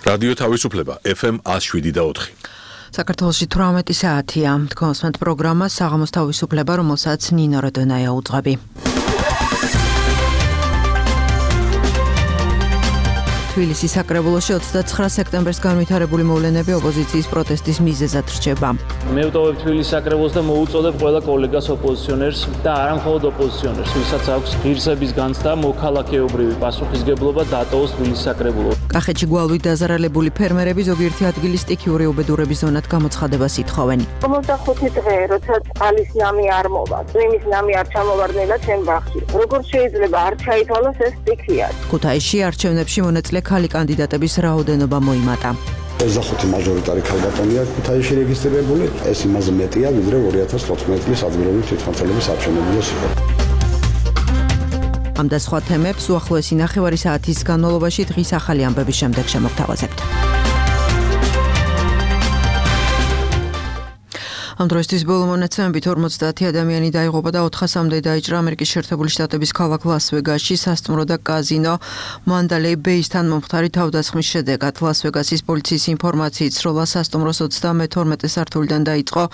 რადიო თავისუფლება FM 107.4. საქართველოში 18 საათია. თქვენს პროგრამა საღამოს თავისუფლება, რომელსაც ნინო როდონაია უძღვები. თბილისის საკრებულოში 29 სექტემბერს განვითარებული მოვლენები ოპოზიციის პროტესტის მიზეზად რჩება. მე ვტოვებ თბილისის საკრებულოს და მოუწოდებ ყველა კოლეგას ოპოზიციონერს და არა მხოლოდ ოპოზიციონერს, ვისაც აქვს ღირსების განცდა, მოქალაქეობრივი პასუხისგებლობა დატოვოს თბილისის საკრებულო. კახეთში გვალვით დაზარალებული ფერმერები ზოგიერთი ადგილის სტიქიური უბედურების ზონად გამოცხადებას ითხოვენ. 55 დღე, როცა წყალის ნამი არ მოვა, წვიმის ნამი არ ჩამოვარდნილა ჩემ ბაღში. როგორც შეიძლება არ ჩაითვალოს ეს სტიქია. ქუთაისში არჩევნებში მონაწილე ქალი კანდიდატების რაოდენობა მოიმატა. 25 მაჟორიტარი ქალბატონია ქუთაისში რეგისტრირებული, ეს იმაზე მეტია, ვიდრე 2014 წლის ადგილობრივი თვითმმართველობის არჩევნებილის იყო. ამ და სხვა თემებს უახლოესი ნახევარი საათის განმავლობაში დღის ახალი ამბების შემდეგ შემოგთავაზებთ. ამ დროისთვის ბოლო მონაცემებით 50 ადამიანი დაიღუპა და 400-მდე დაიჭრა ამერიკის შეერთებული შტატების ქალაქ ლას-ვეგასში სასტუმრო და კაზინო მანდალეი ბეისთან მომხდარი თავდასხმის შედეგად. ლას-ვეგასის პოლიციის ინფორმაციით სროლა სასტუმროს 32 სართულიდან დაიწყო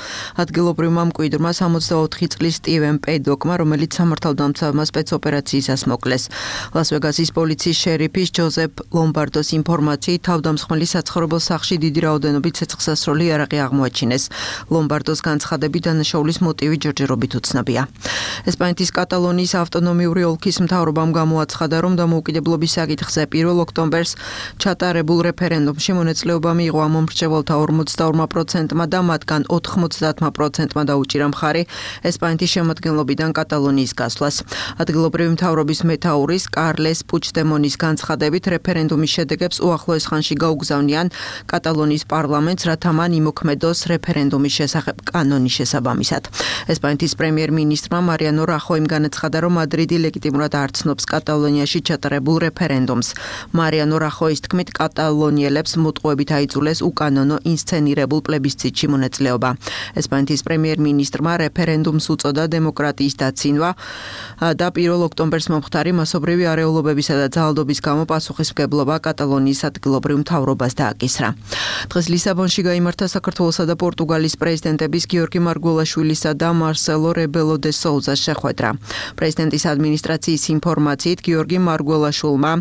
ადგილობრივმა მკვიდრმა 64 წლის სტივენ პედოკმა, რომელიც სამართალდამცავმა სპეცოპერაციისას მოკლეს. ლას-ვეგასის პოლიციის შერიფის ჯოზეფ ლომბარდოს ინფორმაციით თავდამსხმელი საცხოვრებელ სახლში დიდი რაოდენობით ცეცხლსასროლი იარაღი აღმოაჩინეს. ლომბარდო განცხადებით დანაშაულის მოტივი ჯერჯერობით უცნობია. ესპანეთის კატალონიის ავტონომიური ოლქის მთავრობამ გამოაცხადა, რომ დამოუკიდებლობის საკითხზე 1 ოქტომბერს ჩატარებულ რეფერენდუმში მონაწილეობა მიიღო ამ მომრჩეველთა 42%-მა და მათგან 90%-მა დაუჭირა მხარი ესპანეთის შემადგენლობიდან კატალონიის გასვლას. ადგილობრივი მთავრობის მეთაურის კარლეს პუჩდემონის განცხადებით რეფერენდუმის შედეგებს უახლოეს ხანში გაუგზავნიან კატალონიის პარლამენტს, რათა მან იმოქმედოს რეფერენდუმის შესახებ კანონის შესაბამისად. ესპანეთის პრემიერ-მინისტრმა მარიანო რახოიმ განაცხადა, რომ მადრიდი ლეგიტიმურად არ ცნობს კატალონიაში ჩატარებულ რეფერენდუმს. მარიანო რახოის თქმით, კატალონიელებს მოტყუებით აიძულეს უკანონო ინსცენირებულ პლებისციტში მონაწილეობა. ესპანეთის პრემიერ-მინისტრმა რეფერენდუმს უწოდა დემოკრატიის დაცინვა და 1 ოქტომბერს მომხდარი მასობრივი არეულობებისა და ძალადობის გამო პასუხისმგებლობა კატალონიის ადგილობრივ მთავრობას დააკისრა. დღეს ლისაბონში გაიმართა საქართველოსა და პორტუგალის პრეზიდენტების გიორგი მარგველაშვილისა და მარსელო რებელო დე სოუზას შეხვედრა. პრეზიდენტის ადმინისტრაციის ინფორმაციით გიორგი მარგველაშვილმა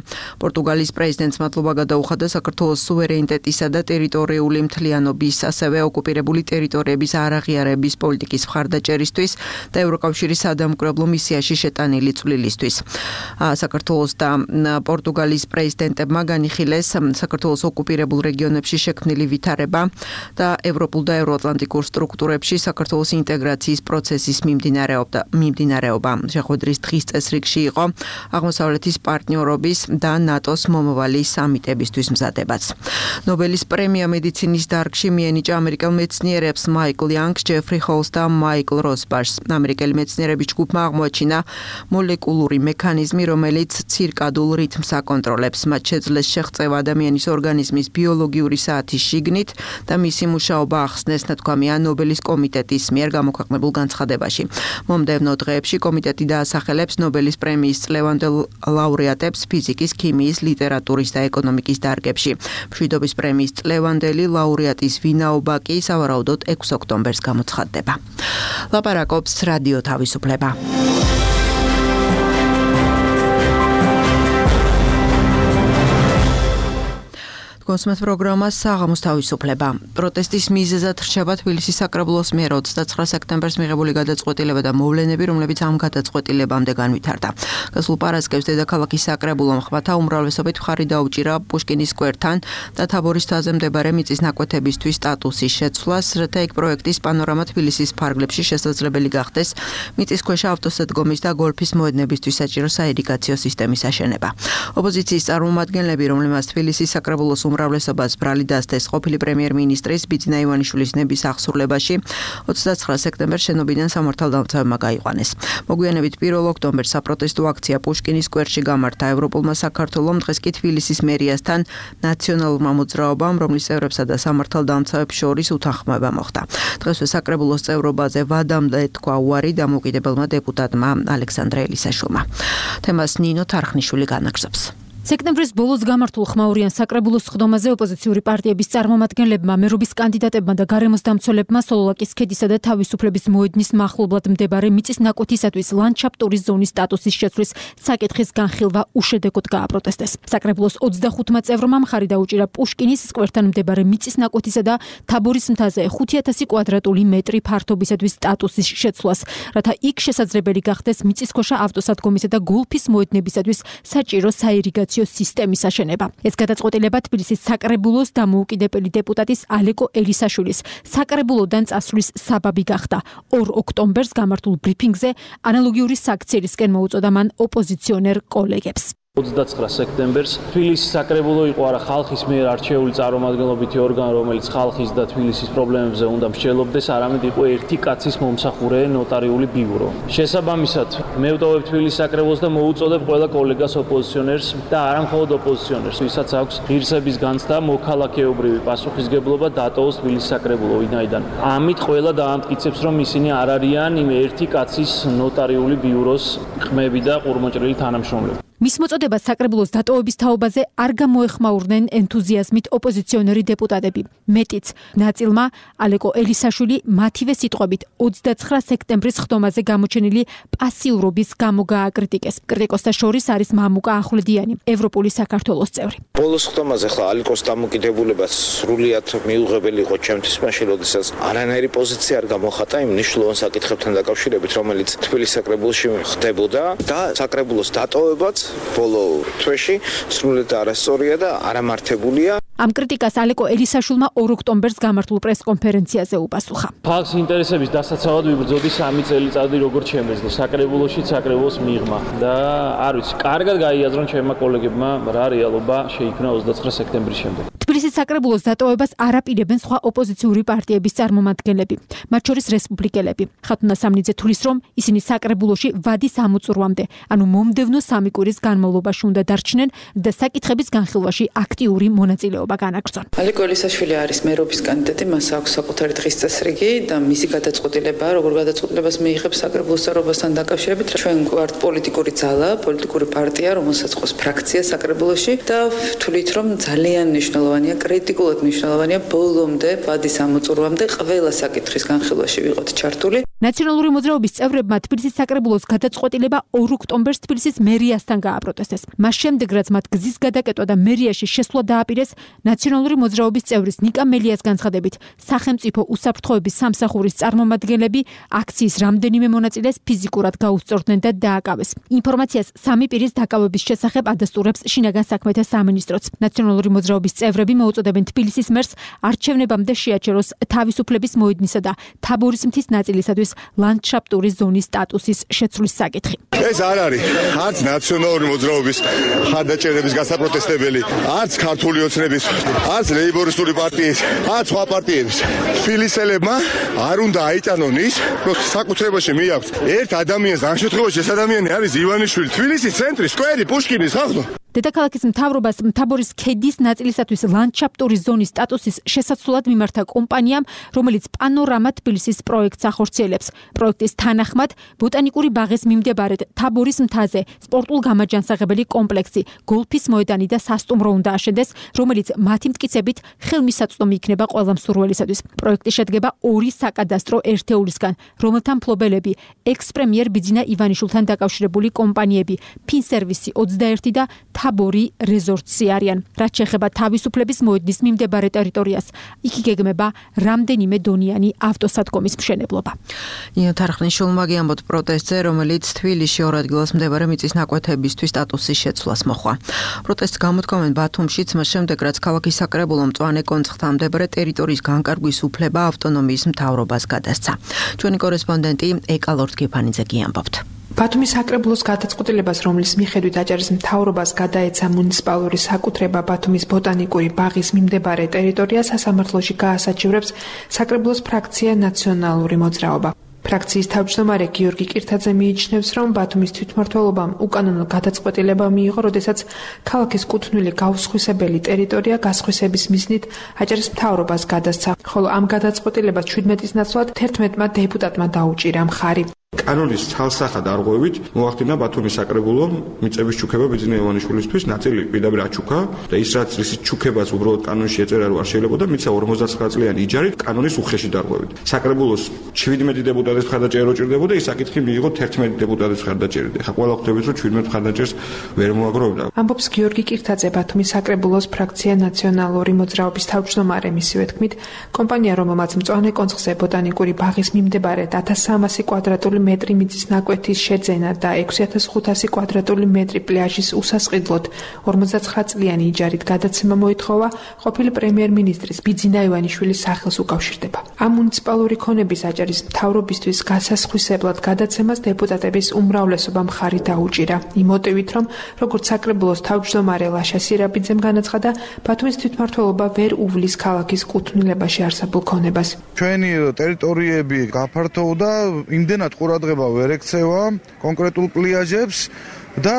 პორტუგალის პრეზიდენტს მადლობა გადაუხადა საქართველოს სუვერენიტეტისა და ტერიტორიული მთლიანობის, ასევე ოკუპირებული ტერიტორიების არაღიარების პოლიტიკის მხარდაჭერისთვის და ევროკავშირის სადამკვირვებლო მისიაში შეტანილი წვლილისთვის. საქართველოს და პორტუგალის პრეზიდენტებმა განიხილეს საქართველოს ოკუპირებულ რეგიონებში შექმნილი ვითარება და ევროპულ და ევროატლანტიკურ სტრუქტურებში საქართველოს ინტეგრაციის პროცესის მიმდინარეობა. შეხვედრის დღის წესრიგში იყო აღმოსავლეთის პარტნიორობის და ნატოს მომავალი სამიტებისთვის მზადებაც. ნობელის პრემია მედიცინის დარგში მიენიჭა ამერიკელ მეცნიერებს მაიკლ იანგს, ჯეფრი ჰოლს და მაიკლ როსბაშს. ამერიკელი მეცნიერების ჯგუფმა აღმოაჩინა მოლეკულური მექანიზმი, რომელიც ცირკადულ რითმს აკონტროლებს. მათ შეძლეს შეღწევა ადამიანის ორგანიზმის ბიოლოგიური საათის შიგნით და მისი მუშაობა ახსნეს, თქვამია ნობელის კომიტეტის მიერ გამოქვეყნებულ განცხადებაში. მომდევნო დღეებში კომიტეტი დაასახელებს ნობელის პრემიის წლევანდელ ლაურეატებს ფიზიკის, ქიმიის, ლიტერატურის და ეკონომიკის დარგებში. მშვიდობის პრემიის წლევანდელი ლაურეატის ვინაობა კი სავარაუდოდ 6 ოქტომბერს გამოცხადდება. ლაპარაკობს რადიო თავისუფლება. კონსუმატ პროგრამა საღამოს თავისუფლება. პროტესტის მიზეზად რჩება თბილისის საკრებულოს მიერ 29 სექტემბერს მიღებული გადაწყვეტილება და მოვლენები, რომლებიც ამ გადაწყვეტილებამდე განვითარდა. გასულ პარასკევს დედაქალაქის საკრებულომ ხმათა უმრავლესობით მხარი დაუჭირა პუშკინის სკვერთან და თაბორის მთაზე მდებარე მიწის ნაკვეთებისთვის სტატუსის შეცვლას, რათა იქ პროექტის პანორამა თბილისის ფარგლებში შესაძლებელი გახდეს მიწისქვეშა ავტოსადგომის და გოლფის მოედნებისთვის საჭირო საირიგაციო სისტემის აშენება. ოპოზიციის წარმომადგენლები, რომლებმაც თბილისის საკრებულოს უმრავლესობას ბრალი დასდეს ყოფილი პრემიერ-მინისტრის ბიძინა ივანიშვილის ნების აღსრულებაში 29 სექტემბერს შენობიდან სამართალდამცავებმა გაიყვანეს. მოგვიანებით 1 ოქტომბერს საპროტესტო აქცია პუშკინის სკვერში გამართა. ევროპულმა საქართველომ დღეს კი თბილისის მერიასთან ნაციონალურმა მოძრაობამ, რომლის წევრებსა და სამართალდამცავებს შორის უთანხმოება მოხდა. დღესვე საკრებულოს წევრობაზე ვადამდე თქვა უარი დამოუკიდებელმა დეპუტატმა ალექსანდრე ელისაშვილმა. თემას ნინო თარხნიშვილი განაგრძობს. სექტემბრის ბოლოს გამართულ ხმაურიან საკრებულოს სხდომაზე ოპოზიციური პარტიების წარმომადგენლებმა, მერობის კანდიდატებმა და გარემოს დამცველებმა სოლოლაკის ქედისა და თავისუფლების მოედნის მახლობლად მდებარე მიწის ნაკვეთისათვის ლანდშაფტური ზონის სტატუსის შეცვლის საკითხის განხილვა უშედეგოდ გააპროტესტეს. საკრებულოს 25 წევრმა მხარი დაუჭირა პუშკინის სკვერთან მდებარე მიწის ნაკვეთისა და თაბორის მთაზე 5000 კვადრატული მეტრი ფართობისათვის სტატუსის შეცვლას, რათა იქ შესაძლებელი გახდეს მიწისქვეშა ავტოსადგომისა და გოლფის მოედნებისათვის საჭირო საირიგაციო სისტემის აშენება. ეს გადაწყვეტილება თბილისის საკრებულოს დამოუკიდებელი დეპუტატის ალეკო ელისაშვილის საკრებულოდან წასვლის საბაბი გახდა. 2 ოქტომბერს გამართულ ბრიფინგზე ანალოგიური საქციელისკენ მოუწოდა მან ოპოზიციონერ კოლეგებს. 29 სექტემბერს თბილისის საკრებულო იყო არა ხალხის მიერ არჩეული წარმომადგენლობითი ორგანო, რომელიც ხალხის და თბილისის პრობლემებზე უნდა მსჯელობდეს, არამედ იყო ერთი კაცის მომსახურე ნოტარიული ბიურო. შესაბამისად, მე ვტოვებ თბილისის საკრებულოს და მოუწოდებ ყველა კოლეგას ოპოზიციონერს და არა მხოლოდ ოპოზიციონერს, ვისაც აქვს ღირსების განცდა, მოქალაქეობრივი პასუხისგებლობა დატოვოს თბილისის საკრებულო, ვინაიდან ამით ყველა დაამტკიცებს, რომ ისინი არ არიან იმ ერთი კაცის ნოტარიული ბიუროს ხმები და ყურმოჭრილი თანამშრომლები. მის მოწოდებას საკრებულოს დატოვების თაობაზე არ გამოეხმაურნენ ენთუზიაზმით ოპოზიციონერი დეპუტატები. მეტიც, ნაწილმა ალეკო ელისაშვილი მათივე სიტყვებით 29 სექტემბრის ხდომაზე გამოჩენილი პასიურობის გამო გააკრიტიკეს. კრიტიკოსთა შორის არის მამუკა ახვლედიანი, ევროპული საქართველოს წევრი. ბოლოს ხდომაზე ხლა ალეკოს დამოკიდებულება სრულიად მიუღებელი იყო ჩემთვის, მაშინ როდესაც არანაირი პოზიცია არ გამოხატა იმ მნიშვნელოვან საკითხებთან დაკავშირებით, რომელიც თბილისის საკრებულოში ხდებოდა და საკრებულოს დატოვებაც ბოლო თვეში სრულიად არასწორია და არამართებულია. ამ კრიტიკას ალეკო ელისაშვილმა 2 ოქტომბერს გამართულ პრესკონფერენციაზე უპასუხა. ხალხის ინტერესების დასაცავად ვიბრძოდი 3 წელიწადი როგორც შემეძლო საკრებულოში საკრებულოს მიღმა და არ ვიცი, კარგად გაიაზრონ ჩემმა კოლეგებმა რა რეალობა შეიქმნა 29 სექტემბრის შემდეგ. თბილისის საკრებულოს დატოვებას არ აპირებენ სხვა ოპოზიციური პარტიების წარმომადგენლები, მათ შორის რესპუბლიკელები. ხათუნა სამნიძე თulis რომ ისინი საკრებულოში ვადის ამოწურვამდე, ანუ მომდევნო 3 კვირის განმავლობაში უნდა დარჩნენ და საკითხების განხილვაში აქტიური მონაწილეობა განაგრძონ. ალეკო ელისაშვილი არის მერობის კანდიდატი, მას აქვს საკუთარი დღის წესრიგი და მისი გადაწყვეტილება, როგორ გადაწყვეტილებას მიიღებს საკრებულოს წევრობასთან დაკავშირებით, ჩვენ ვართ პოლიტიკური ძალა, პოლიტიკური პარტია, რომელსაც ყავს ფრაქცია საკრებულოში და ვთვლით, რომ ძალიან მნიშვნელოვანია, კრიტიკულად მნიშვნელოვანია ბოლომდე, ვადის ამოწურვამდე ყველა საკითხის განხილვაში ვიყოთ ჩართული. ნაციონალური მოძრაობის წევრებმა თბილისის საკრებულოს გადაწყვეტილება 2 ოქტომბერს თბილისის მერიასთან გააპროტესტეს. მას შემდეგ, რაც მათ გზის გადაკეტვა და მერიაში შესვლა დააპირეს, ნაციონალური მოძრაობის წევრის ნიკა მელიას განცხადებით, სახელმწიფო უსაფრთხოების სამსახურის წარმომადგენლები აქციის რამდენიმე მონაწილეს ფიზიკურად გაუსწორდნენ და დააკავეს. ინფორმაციას 3 პირის დაკავების შესახებ ადასტურებს შინაგან საქმეთა სამინისტროც. ნაციონალური მოძრაობის წევრები მოუწოდებენ თბილისის მერს არჩევნებამდე შეაჩეროს თავისუფლების მოედნისა და თაბორის მთის ნაწილისათვის ლანდშაფტური ზონის სტატუსის შეცვლის საკითხი. ეს არ არის არც ნაციონალური მოძრაობის ხარდაჭერების გასაპროტესტებელი, არც ქართული ოცნების, არც ლეიბორისტული პარტიის, არც სხვა პარტიების. თბილისელებმა არ უნდა აიტანონ ის, რომ საკუთრებაში მიაქვს ერთ ადამიანს, ამ შემთხვევაში ეს ადამიანი არის ივანიშვილი, თბილისის ცენტრი, სკვერი, პუშკინის ხალხო. დედაქალაქის მთავრობას თაბორის ქედის ნაწილისათვის ლანდშაფტური ზონის სტატუსის შესაცვლად მიმართა კომპანიამ, რომელიც პანორამა თბილისის პროექტს ახორციელებს. პროექტის თანახმად, ბოტანიკური ბაღის მიმდებარედ თაბორის მთაზე სპორტულ-გამაჯანსაღებელი კომპლექსი, გოლფის მოედანი და სასტუმრო უნდა აშენდეს, რომელიც მათი მტკიცებით ხელმისაწვდომი იქნება ყველა მსურველისათვის. პროექტი შედგება 2 საკადასტრო ერთეულისგან, რომელთა მფლობელები ექს-პრემიერ ბიძინა ივანიშვილთან დაკავშირებული კომპანიები, ფინსერვისი 21 და თაბორი რეზორტსი არიან. რაც შეეხება თავისუფლების მოედნის მიმდებარე ტერიტორიას, იქ იგეგმება რამდენიმე დონიანი ავტოსადგომის მშენებლობა. ნინო თარხნიშვილმა გიამბოთ პროტესტზე, რომელიც თბილისში 2 ადგილას მდებარე მიწის ნაკვეთებისთვის სტატუსის შეცვლას მოხდა. პროტესტს გამოთქვამენ ბათუმშიც, მას შემდეგ რაც ქალაქის საკრებულომ მწვანე კონცხთან მდებარე ტერიტორიის განკარგვის უფლება ავტონომიის მთავრობას გადასცა. ჩვენი კორესპონდენტი ეკალორდ გეფანიძე გიამბობთ. ბათუმის საკრებულოს გადაწყვეტილებას, რომლის მიხედვით აჭარის მთავრობას გადაეცა მუნიციპალური საკუთრება ბათუმის ბოტანიკური ბაღის მიმდებარე ტერიტორია, სასამართლოში გაასაჩივრებს საკრებულოს ფრაქცია ნაციონალური მოძრაობა. ფრაქციის თავმჯდომარე გიორგი კირთაძე მიიჩნევს, რომ ბათუმის თვითმმართველობამ უკანონო გადაწყვეტილება მიიღო, როდესაც ქალაქის კუთვნილი გაუსხვისებელი ტერიტორია გასხვისების მიზნით აჭარის მთავრობას გადასცა, ხოლო ამ გადაწყვეტილებას 17-ის ნაცვლად 11-მა დეპუტატმა დაუჭირა მხარი. კანონის ცალსახად არღვევით მოახდინა ბათუმის საკრებულომ მიწების ჩუქება ბიძინა ივანიშვილისთვის, ნაწილი პირდაპირ აჩუქა და ის რაც რისის ჩუქებას უბრალოდ კანონში ეწერა რომ არ შეიძლება მიცა 59 წლიანი იჯარით კანონის უხეში დარღვევით. საკრებულოს 17 დეპუტატის მხარდაჭერა რო ჭირდებოდა, ის საკითხი მიიღო 11 დეპუტატის მხარდაჭერით. ეხლა ყველა ხვდებით რომ 17 მხარდაჭერს ვერ მოაგროვებდა. ამბობს გიორგი კირთაძე, ბათუმის საკრებულოს ფრაქცია ნაციონალური მოძრაობის თავმჯდომარე. მისივე თქმით, კომპანია, რომელმაც მწვანე კონცხზე ბოტანიკური ბაღის მიმდებარედ 1300 კვადრატული მეტრი მიწის ნაკვეთის შეძენა და 6500 კვადრატული მეტრი პლაჟის უსასყიდლოდ 59 წლიანი იჯარით გადაცემა მოითხოვა, ყოფილი პრემიერ-მინისტრის ბიძინა ივანიშვილის სახელს უკავშირდება. ამ მუნიციპალური ქონების აჭარის მთავრობისთვის გასასხვისებლად გადაცემას დეპუტატების უმრავლესობა მხარი დაუჭირა. იმ მოტივით, რომ როგორც საკრებულოს თავმჯდომარე ლაშა სირაბიძემ განაცხადა, ბათუმის თვითმმართველობა ვერ უვლის ქალაქის კუთვნილებაში არსებულ ქონებას. ჩვენი ტერიტორიები გაფართოვდა, იმდენად ყურადღება ვერ ექცევა კონკრეტულ პლაჟებს და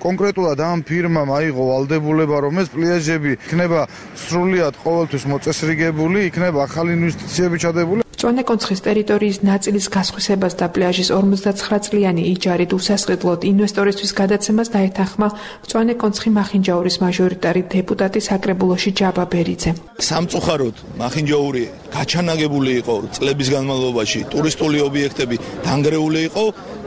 კონკრეტულად ამ ფირმამ აიღო ვალდებულება, რომ ეს პლაჟები იქნება სრულიად ყოველთვის მოწესრიგებული, იქნება ახალი ინვესტიციები ჩადებული. მწვანე კონცხის ტერიტორიის ნაწილის გასხვისებას და პლაჟის 59 წლიანი იჯარით უსასყიდლოდ ინვესტორისთვის გადაცემას დაეთანხმა მწვანე კონცხი მახინჯაურის მაჟორიტარი დეპუტატი საკრებულოში ჯაბა ბერიძე. სამწუხაროდ მახინჯაური გაჩანაგებული იყო წლების განმავლობაში, ტურისტული ობიექტები დანგრეული იყო,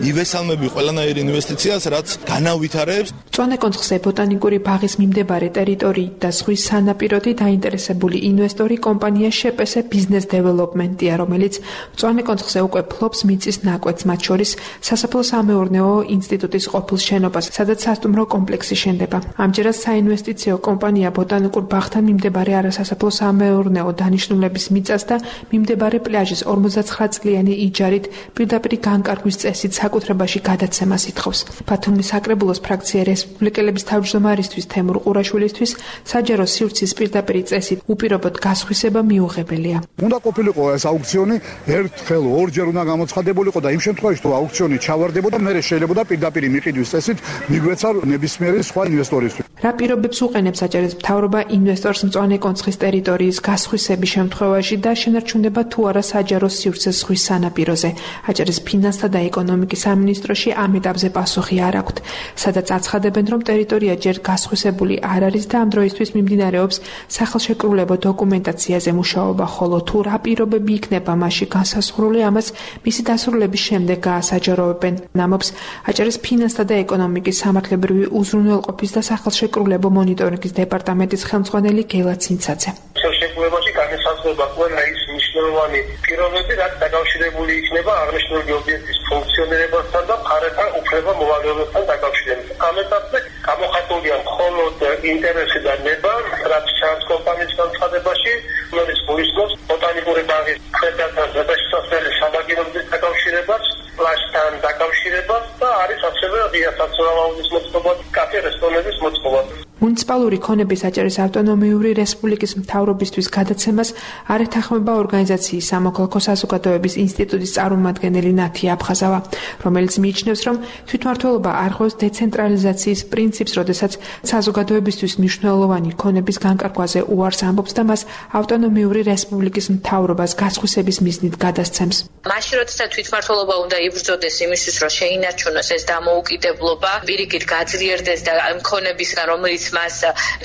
ივესალმები ყველანაირ ინვესტიციას, რაც განავითარებს. მწვანე კონცხზე ბოტანიკური ბაღის მიმდებარე ტერიტორიით და ზღვის სანაპიროთი დაინტერესებული ინვესტორი კომპანია შეპესე ბიზნეს დეველოპმენტია, რომელიც მწვანე კონცხზე უკვე ფლობს მიწის ნაკვეთს, მათ შორის სასოფლო-სამეურნეო ინსტიტუტის ყოფილ შენობას, სადაც სასტუმრო კომპლექსი შენდება. ამჯერად საინვესტიციო კომპანია ბოტანიკურ ბაღთან მიმდებარე არასასოფლო-სამეურნეო დანიშნულების მიწას და მიმდებარე პლაჟის 59 წლიანი იჯარით პირდაპირ განკარგვის წესით საკუთრებაში გადაცემას ითხოვს. ბათუმის საკრებულოს ფრაქცია რესპუბლიკელების თავმჯდომარისთვის თემურ ყურაშვილისთვის საჯარო სივრცის პირდაპირ წესით უპირობოდ გასხვისება მიუღებელია. უნდა ყოფილიყო ეს აუქციონი ერთხელ ორჯერ უნდა გამოცხადებულიყო და იმ შემთხვევაში თუ აუქციონი ჩავარდებოდა, მერე შეიძლება პირდაპირ მიყიდვის წესით მიგვეცა ნებისმიერი სხვა ინვესტორისთვის. რა პირობებს უყენებს აჭარის მთავრობა ინვესტორს მწვანე კონცხის ტერიტორიის გასხვისების შემთხვევაში და შენარჩუნება თუ არა საჯარო სივრცე ზღვის სანაპიროზე. აჭარის ფინანსთა და ეკონომიკის სამინისტროში ამ ეტაპზე პასუხი არ აქვთ, სადაც აცხადებენ, რომ ტერიტორია ჯერ გასხვისებული არ არის და ამ დროისთვის მიმდინარეობს სახელშეკრულებო დოკუმენტაციაზე მუშაობა, ხოლო თუ რა პირობები იქნება მასში განსაზღვრული, ამას მისი დასრულების შემდეგ გაასაჯაროებენ. ამბობს აჭარის ფინანსთა და ეკონომიკის სამართლებრივი უზრუნველყოფის და სახელშეკრულებო მონიტორინგის დეპარტამენტის ხელმძღვანელი გელა ცინცაძე. ხელშეკრულებაში განსაზღვრება ყველა ის მნიშვნელოვანი პირობები, რაც დაკავშირებული იქნება აღნიშნული ობიექტის ფუნქციონირებასთან და მხარეთან უფლება-მოვალეობასთან დაკავშირებით. ამ ეტაპზე გამოხატულია მხოლოდ ინტერესი და ნება, რაც ჩანს კომპანიის განცხადებაში, რომელიც გულისხმობს ბოტანიკური ბაღის ქვედა ზედაშსასრული საბაგიროების დაკავშირებას, პლაჟთან დაკავშირებას და არის ასევე ღია საცურაულის მოწყობა, კაფე რესტორნების მოწყობა. მუნიციპალური ქონების აჭარის ავტონომიური რესპუბლიკის მთავრობისთვის გადაცემას არ ეთანხმება ორგანიზაციის სამოქალაქო საზოგადოების ინსტიტუტის წარმომადგენელი ნათი აფხაზავა, რომელიც მიიჩნევს, რომ თვითმმართველობა არღვევს დეცენტრალიზაციის პრინციპს, როდესაც საზოგადოებისთვის მნიშვნელოვანი ქონების განკარგვაზე უარს ამბობს და მას ავტონომიური რესპუბლიკის მთავრობას გასხვისების მიზნით გადასცემს. მაშინ როდესაც თვითმმართველობა უნდა იბრძოდეს იმისთვის, რომ შეინარჩუნოს ეს დამოუკიდებლობა, პირიქით გაძლიერდეს და ქონებისგან, რომელიც მას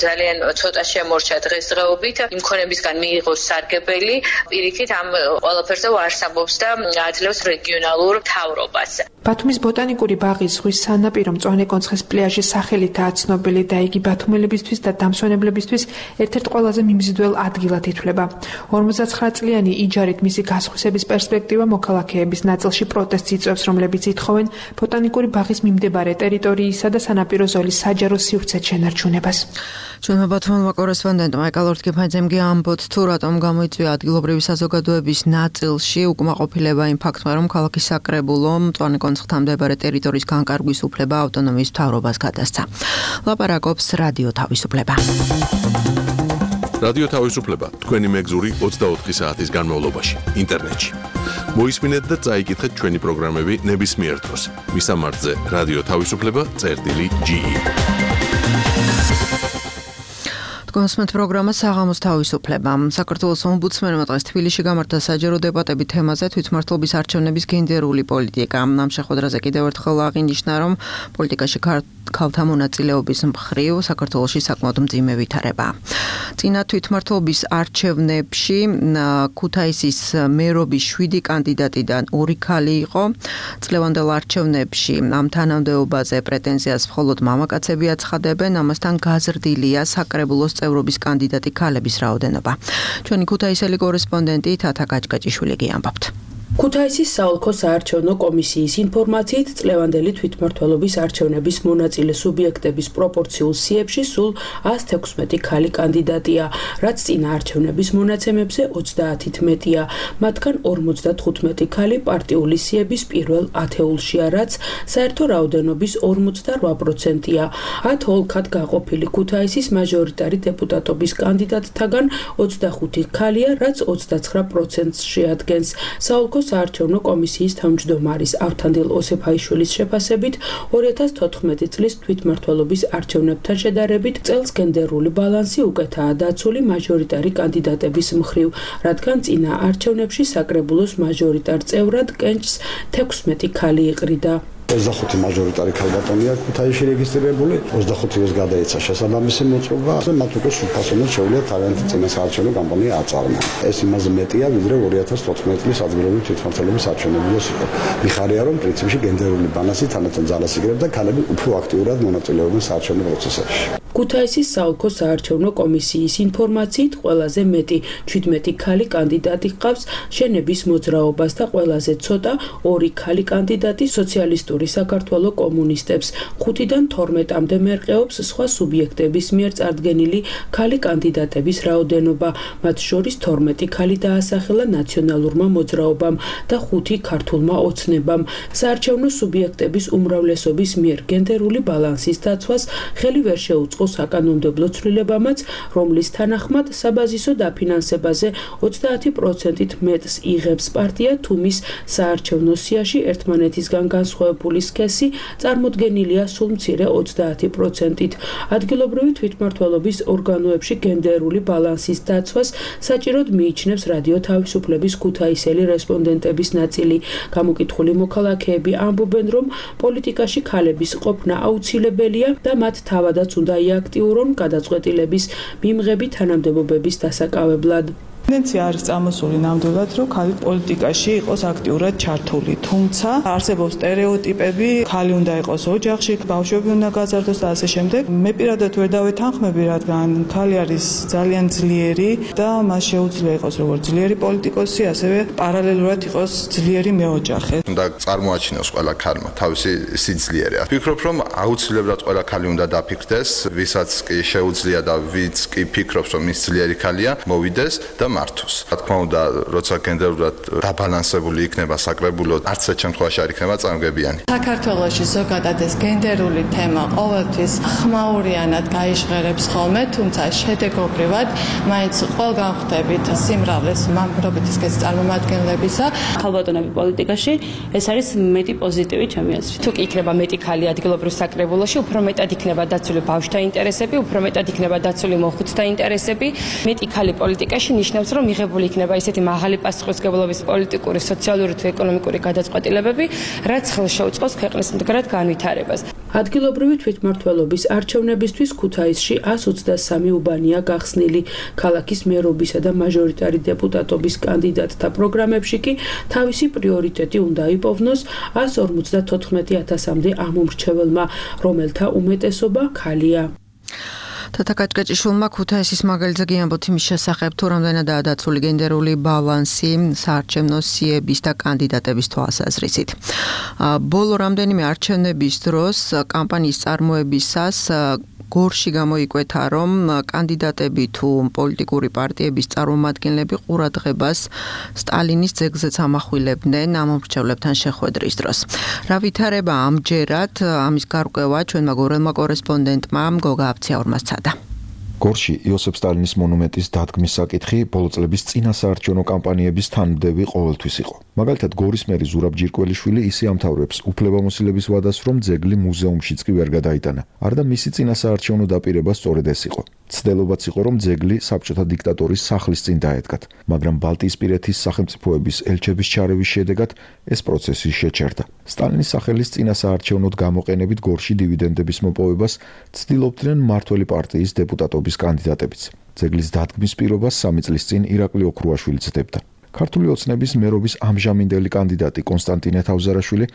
ძალიან ცოტა შემორჩა დღესდღეობით, იმ ქონებისგან მიიღოს სარგებელი, პირიქით ამ ყველაფერზე უარს ამბობს და აძლევს რეგიონალურ მთავრობას. ბათუმის ბოტანიკური ბაღის ზღვის სანაპირო მწვანე კონცხის პლაჟის სახელითაა ცნობილი და იგი ბათუმელებისთვის და დამსვენებლებისთვის ერთ-ერთ ყველაზე მიმზიდველ ადგილად ითვლება. 59 წლიანი იჯარით მისი გასხვისების პერსპექტივა მოქალაქეების ნაწილში პროტესტს იწვევს, რომლებიც ითხოვენ ბოტანიკური ბაღის მიმდებარე ტერიტორიისა და სანაპირო ზოლის საჯარო სივრცეთ შენარჩუნებას. ჩვენმა ბათუმელმა კორესპონდენტმა ეკალორთ კეფაძემ ამბობთ, თუ რატომ გამოიწვია ადგილობრივი საზოგადოების ნაწილში უკმაყოფილება იმ ფაქტმა, რომ ქალაქის საკრებულომ მწვანე კონცხთან მდებარე ტერიტორიის განკარგვის უფლება ავტონომიის მთავრობას გადასცა. ლაპარაკობს რადიო თავისუფლება. რადიო თავისუფლება თქვენი მეგზური 24 საათის განმავლობაში ინტერნეტში. მოისმინეთ და წაიკითხეთ ჩვენი პროგრამები ნებისმიერ დროს. მისამართზე რადიო თავისუფლება.ge კონსმენტ პროგრამა საღამოს თავისუფლება. საქართველოს ომბუდსმენმა დღეს თბილისში გამართა საჯარო დებატები თემაზე თვითმმართველობის არჩევნების გენდერული პოლიტიკა. ამ შეხვედრაზე კიდევ ერთხელ აღინიშნა, რომ პოლიტიკაში ქალთა მონაწილეობის მხრივ საქართველოში საკმაოდ მძიმე ვითარებაა. წინა თვითმმართველობის არჩევნებში ქუთაისის მერობის 7 კანდიდატიდან 2 ქალი იყო. წლევანდელ არჩევნებში ამ თანამდებობაზე პრეტენზიას მხოლოდ მამაკაცები აცხადებენ, ამასთან გაზრდილია საკრებულოს წევრობის კანდიდატი ქალების რაოდენობა. ჩვენი ქუთაისელი კორესპონდენტი თათა გაჭგაჭიშვილი გიამბობთ. ქუთაისის საოლქო საარჩევნო კომისიის ინფორმაციით წლევანდელი თვითმმართველობის არჩევნების მონაწილე სუბიექტების პროპორციულ სიებში სულ 116 ქალი კანდიდატია, რაც წინა არჩევნების მონაცემებზე 30-ით მეტია. მათგან 55 ქალი პარტიული სიების პირველ ათეულშია, რაც საერთო რაოდენობის 48%-ია. 10 ოლქად გაყოფილი ქუთაისის მაჟორიტარი დეპუტატობის კანდიდატთაგან 25 ქალია, რაც 29%-ს შეადგენს. საოლქო საარჩევნო კომისიის თავმჯდომარის ავთანდილ ოსეფაიშვილის შეფასებით 2014 წლის თვითმმართველობის არჩევნებთან შედარებით წელს გენდერული ბალანსი უკეთაა დაცული მაჟორიტარი კანდიდატების მხრივ, რადგან წინა არჩევნებში საკრებულოს მაჟორიტარ წევრად კენჭს 16 ქალი იყრიდა. 25 მაჟორიტარი ქალბატონია ქუთაისში რეგისტრირებული, 25-ს გადაეცა შესაბამისი მოწყობა, მათ უკვე სრულფასოვნად შეუძლიათ თავიანთი წინასაარჩევნო კამპანია აწარმოონ. ეს იმაზე მეტია, ვიდრე 2014 წლის ადგილობრივი თვითმმართველობის არჩევნებიდანაც იყო. მიხარია, რომ პრინციპში გენდერული ბალანსი თანდათან ძალას იგრებს და ქალები უფრო აქტიურად მონაწილეობენ საარჩევნო პროცესებში. ქუთაისის საოლქო საარჩევნო კომისიის ინფორმაციით ყველაზე მეტი 17 ქალი კანდიდატი ჰყავს შენების მოძრაობას და ყველაზე ცოტა 2 ქალი კანდიდატი სოციალისტური საქართველოს კომუნისტებს. 5-დან 12-მდე მერყეობს სხვა სუბიექტების მიერ წარდგენილი ქალი კანდიდატების რაოდენობა, მათ შორის 12 ქალი დაასახელა ნაციონალურმა მოძრაობამ და 5 ქართულმა ოცნებამ. საარჩევნო სუბიექტების უმრავლესობის მიერ გენდერული ბალანსის დაცვას ხელი ვერ შეუწყო საკანონმდებლო ცვლილებამაც, რომლის თანახმად საბაზისო დაფინანსებაზე 30%-ით მეტს იღებს პარტია, თუ მის საარჩევნო სიაში ერთმანეთისგან განსხვავებული სქესი წარმოდგენილია სულ მცირე 30%-ით. ადგილობრივი თვითმმართველობის ორგანოებში გენდერული ბალანსის დაცვას საჭიროდ მიიჩნევს რადიო თავისუფლების ქუთაისელი რესპონდენტების ნაწილი. გამოკითხული მოქალაქეები ამბობენ, რომ პოლიტიკაში ქალების ყოფნა აუცილებელია და მათ თავადაც უნდა აქტიურონ გადაწყვეტილების მიმღები თანამდებობების დასაკავებლად. ტენდენცია არის წამოსული ნამდვილად, რომ ქალი პოლიტიკაში იყოს აქტიურად ჩართული, თუმცა არსებობს სტერეოტიპები, ქალი უნდა იყოს ოჯახში, ბავშვები უნდა გაზარდოს და ასე შემდეგ. მე პირადად ვერ დავეთანხმები, რადგან ქალი არის ძალიან ძლიერი და მას შეუძლია იყოს როგორც ძლიერი პოლიტიკოსი, ასევე პარალელურად იყოს ძლიერი მეოჯახე. უნდა წარმოაჩინოს ყველა ქალმა თავისი სიძლიერე. ვფიქრობ, რომ აუცილებლად ყველა ქალი უნდა დაფიქრდეს, ვისაც კი შეუძლია და ვიც კი ფიქრობს, რომ ის ძლიერი ქალია, მოვიდეს და მართოს. რა თქმა უნდა, როცა გენდერულად დაბალანსებული იქნება საკრებულო, არც ერთ შემთხვევაში არ იქნება წარმგებიანი. საქართველოში ზოგადად ეს გენდერული თემა ყოველთვის ხმაურიანად გაიჟღერებს ხოლმე, თუმცა შედეგობრივად მაინც ყველგან ხვდებით სიმრავლეს მამრობითი სქესის წარმომადგენლებისა. ქალბატონები პოლიტიკაში ეს არის მეტი პოზიტივი ჩემი აზრით. თუ კი იქნება მეტი ქალი ადგილობრივ საკრებულოში, უფრო მეტად იქნება დაცული ბავშვთა ინტერესები, უფრო მეტად იქნება დაცული მოხუცთა ინტერესები. მეტი ქალი პოლიტიკაში ნიშნავს, რომ მიღებული იქნება ისეთი მაღალი პასუხისმგებლობის პოლიტიკური, სოციალური თუ ეკონომიკური გადაწყვეტილებები, რაც ხელს შეუწყობს ქვეყნის მდგრად განვითარებას. ადგილობრივი თვითმმართველობის არჩევნებისთვის ქუთაისში 123 უბანია გახსნილი. ქალაქის მერობისა და მაჟორიტარი დეპუტატობის კანდიდატთა პროგრამებში კი თავისი პრიორიტეტი უნდა იპოვნოს 154,000-მდე ამომრჩეველმა, რომელთა უმეტესობა ქალია. თათა გაჭგაჭიშვილმა ქუთაისის მაგალითზე გიამბოთ იმის შესახებ, თუ რამდენადაა დაცული გენდერული ბალანსი საარჩევნო სიების და კანდიდატების თვალსაზრისით. ბოლო რამდენიმე არჩევნების დროს კამპანიის წარმოებისას გორში გამოიკვეთა, რომ კანდიდატები თუ პოლიტიკური პარტიების წარმომადგენლები ყურადღებას სტალინის ძეგლზეც ამახვილებდნენ ამომრჩევლებთან შეხვედრის დროს. რა ვითარება ამჯერად, ამის გარკვევა ჩვენმა გორელმა კორესპონდენტმა გოგა აბციაურმა სცადა. გორში იოსებ სტალინის მონუმენტის დადგმის საკითხი ბოლო წლების წინა საარჩევნო კამპანიების თანმდევი ყოველთვის იყო. მაგალითად, გორის მერი ზურაბ ჯირკველიშვილი ისე ამთავრებს უფლებამოსილების ვადას, რომ ძეგლი მუზეუმშიც კი ვერ გადაიტანა. არ და მისი წინა საარჩევნო დაპირება სწორედ ეს იყო. ცდილობაც იყო, რომ ძეგლი საბჭოთა დიქტატორის სახლის წინ დაედგათ, მაგრამ ბალტიისპირეთის სახელმწიფოების ელჩების ჩარევის შედეგად ეს პროცესი შეჩერდა. სტალინის სახელის წინასაარჩევნოდ გამოყენებით გორში დივიდენდების მოპოვებას ცდილობდნენ მმართველი პარტიის დეპუტატობის კანდიდატებიც. ძეგლის დადგმის პირობას 3 წლის წინ ირაკლი ოქრუაშვილი ცდებდა. ქართული ოცნების მერობის ამჟამინდელი კანდიდატი კონსტანტინე თავზარაშვილი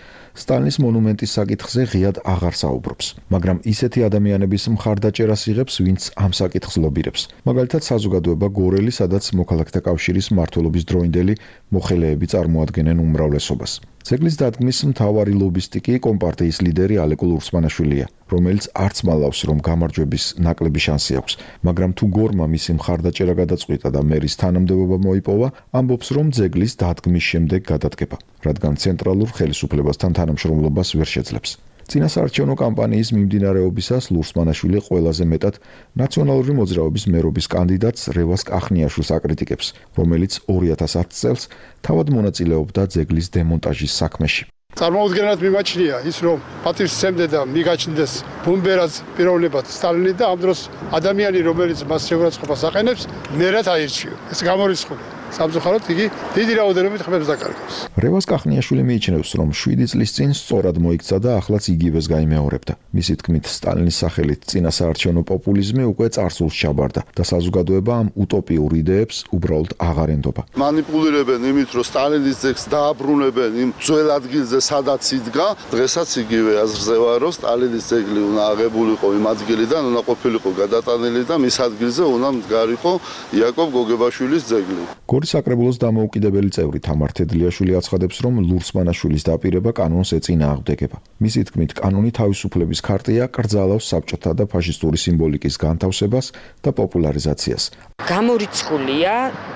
სტალინის მონუმენტის საკითხზე ღიად აღარ საუბრობს, მაგრამ ისეთი ადამიანების მხარდაჭერას იღებს, ვინც ამ საკითხს ლობირებს. მაგალითად, საზოგადოება გორელი, სადაც მოქალაქეთა კავშირის მმართველობის დროინდელი მოხელეები წარმოადგენენ უმრავლესობას. ძეგლის დადგმის მთავარი ლობისტი კი კომპარტიის ლიდერი ალეკო ლურსმანაშვილია, რომელიც არც მალავს, რომ გამარჯვების ნაკლები შანსი აქვს, მაგრამ თუ გორმა მისი მხარდაჭერა გადაწყვიტა და მერის თანამდებობა მოიპოვა, ამბობს, რომ ძეგლის დადგმის შემდეგ გადადგება, რადგან ცენტრალურ ხელისუფლებასთან თანამშრომლობას ვერ შეძლებს. წინასაარჩევნო კამპანიის მიმდინარეობისას ლურსმანაშვილი ყველაზე მეტად ნაციონალური მოძრაობის მერობის კანდიდატს რევას კახნიაშვილს აკრიტიკებს, რომელიც 2010 წელს თავად მონაწილეობდა ძეგლის დემონტაჟის საქმეში. წარმოუდგენლად მიმაჩნია ის, რომ პატივსცემდა და მიგაჩნდეს ბუმბერას პიროვნებად სტალინი და ამ დროს ადამიანი, რომელიც მას შეურაცხყოფას აყენებს, მერად აირჩიო. ეს გამორიცხული. სამწუხაროდ იგი დიდი რაოდენობით ხმებს დაკარგავს. რევას კახნიაშვილი მიიჩნევს, რომ 7 წლის წინ სწორად მოიქცა და ახლაც იგივეს გაიმეორებდა. მისი თქმით, სტალინის სახელით წინასაარჩევნო პოპულიზმი უკვე წარსულს ჩაბარდა და საზოგადოება ამ უტოპიურ იდეებს უბრალოდ აღარ ენდობა. მანიპულირებენ იმით, რომ სტალინის ძეგლს დააბრუნებენ იმ ძველ ადგილზე, სადაც იდგა. დღესაც იგივე აზრზე ვარ, რომ სტალინის ძეგლი უნდა აღებულიყო იმ ადგილიდან, უნდა ყოფილიყო გადატანილი და მის ადგილზე უნდა მდგარიყო იაკობ გოგებაშვილის ძეგლი. გორის საკრებულოს დამოუკიდებელი წევრი თამარ თედლიაშვილი აცხადებს, რომ ლურსმანაშვილის დაპირება კანონს ეწინააღმდეგება. მისი თქმით, კანონი თავისუფლების ქარტია, კრძალავს საბჭოთა და ფაშისტური სიმბოლიკის განთავსებას და პოპულარიზაციას. გამორიცხულია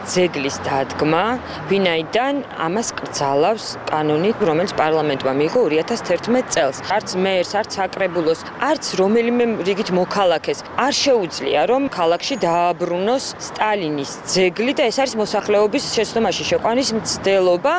ძეგლის დადგმა, ვინაიდან ამას კრძალავს კანონი, რომელიც პარლამენტმა მიიღო 2011 წელს. არც მერს, არც საკრებულოს, არც რომელიმე რიგით მოქალაქეს არ შეუძლია, რომ ქალაქში დააბრუნოს სტალინის ძეგლი და ეს არის მოსახლეობის შეცდომაში შეყვანის მცდელობა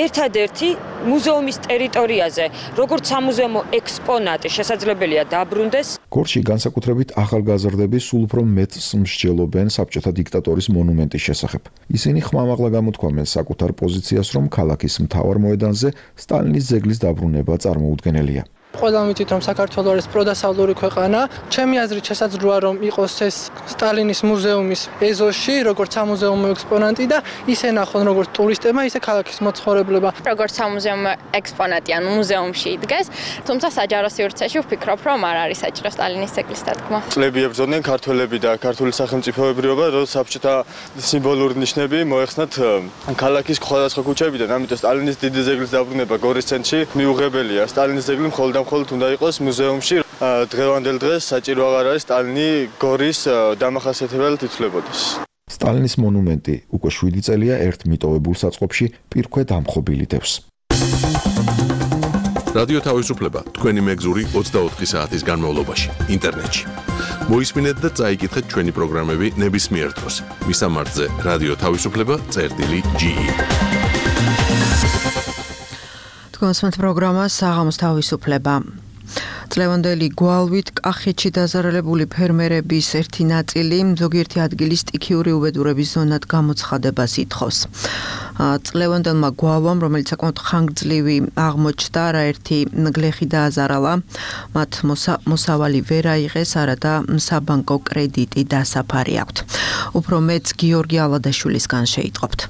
ერთადერთი მუზეუმის ტერიტორიაზე, როგორც სამუზეუმო ექსპონატი შესაძლებელია დაბრუნდეს. გორში განსაკუთრებით ახალგაზრდები სულ უფრო მეტს მსჯელობენ საბჭოთა დიქტატორის მონუმენტის შესახებ. ისინი ხმამაღლა გამოთქვამენ საკუთარ პოზიციას, რომ ქალაქის მთავარ მოედანზე სტალინის ძეგლის დაბრუნება წარმოუდგენელია. ყველამ ვიცით, რომ საქართველო არის პროდასავლური ქვეყანა. ჩემი აზრით შესაძლოა, რომ იყოს ეს სტალინის მუზეუმის ეზოში, როგორც სამუზეუმო ექსპონატი და ისე ნახონ, როგორც ტურისტებმა, ისე ქალაქის მოცხოვრებლებმა. როგორც სამუზეუმო ექსპონატი, ანუ მუზეუმში იდგეს, თუმცა საჯარო სივრცეში ვფიქრობ, რომ არ არის საჭირო სტალინის ძეგლის დადგმა. წლები ებრძოდნენ ქართველები და ქართული სახელმწიფოებრიობა, რომ საბჭოთა სიმბოლური ნიშნები მოეხსნათ ქალაქის სხვადასხვა ქუჩებიდან, ამიტომ სტალინის დიდი ძეგლის დაბრუნება გორის ცენტრში მიუღებელია. სტალინის ძეგლი მხოლოდ უნდა იყოს მუზეუმში. დღევანდელ დღეს საჭირო აღარ არის სტალინი გორის დამახასიათებელად ითვლებოდეს. სტალინის მონუმენტი უკვე 7 წელია ერთ მიტოვებულ საწყობში პირქვე დამხობილი დევს. რადიო თავისუფლება თქვენი მეგზური 24 საათის განმავლობაში ინტერნეტში. მოისმინეთ და წაიკითხეთ ჩვენი პროგრამები ნებისმიერ დროს. მისამართზე რადიო თავისუფლება.ge. კონსმეთ პროგრამა საღამოს თავისუფლება. წლევანდელი გვალვით კახეთში დაზარალებული ფერმერების ერთი ნაწილი ზოგიერთი ადგილის სტიქიური უბედურების ზონად გამოცხადებას ითხოვს. წლევანდელმა გვალვამ, რომელიც საკმაოდ ხანგრძლივი აღმოჩნდა, არაერთი გლეხი დააზარალა, მათ მოსავალი ვერ აიღეს, არადა საბანკო კრედიტი დასაფარი აქვთ. უფრო მეც გიორგი ალადაშვილისგან შეიტყობთ.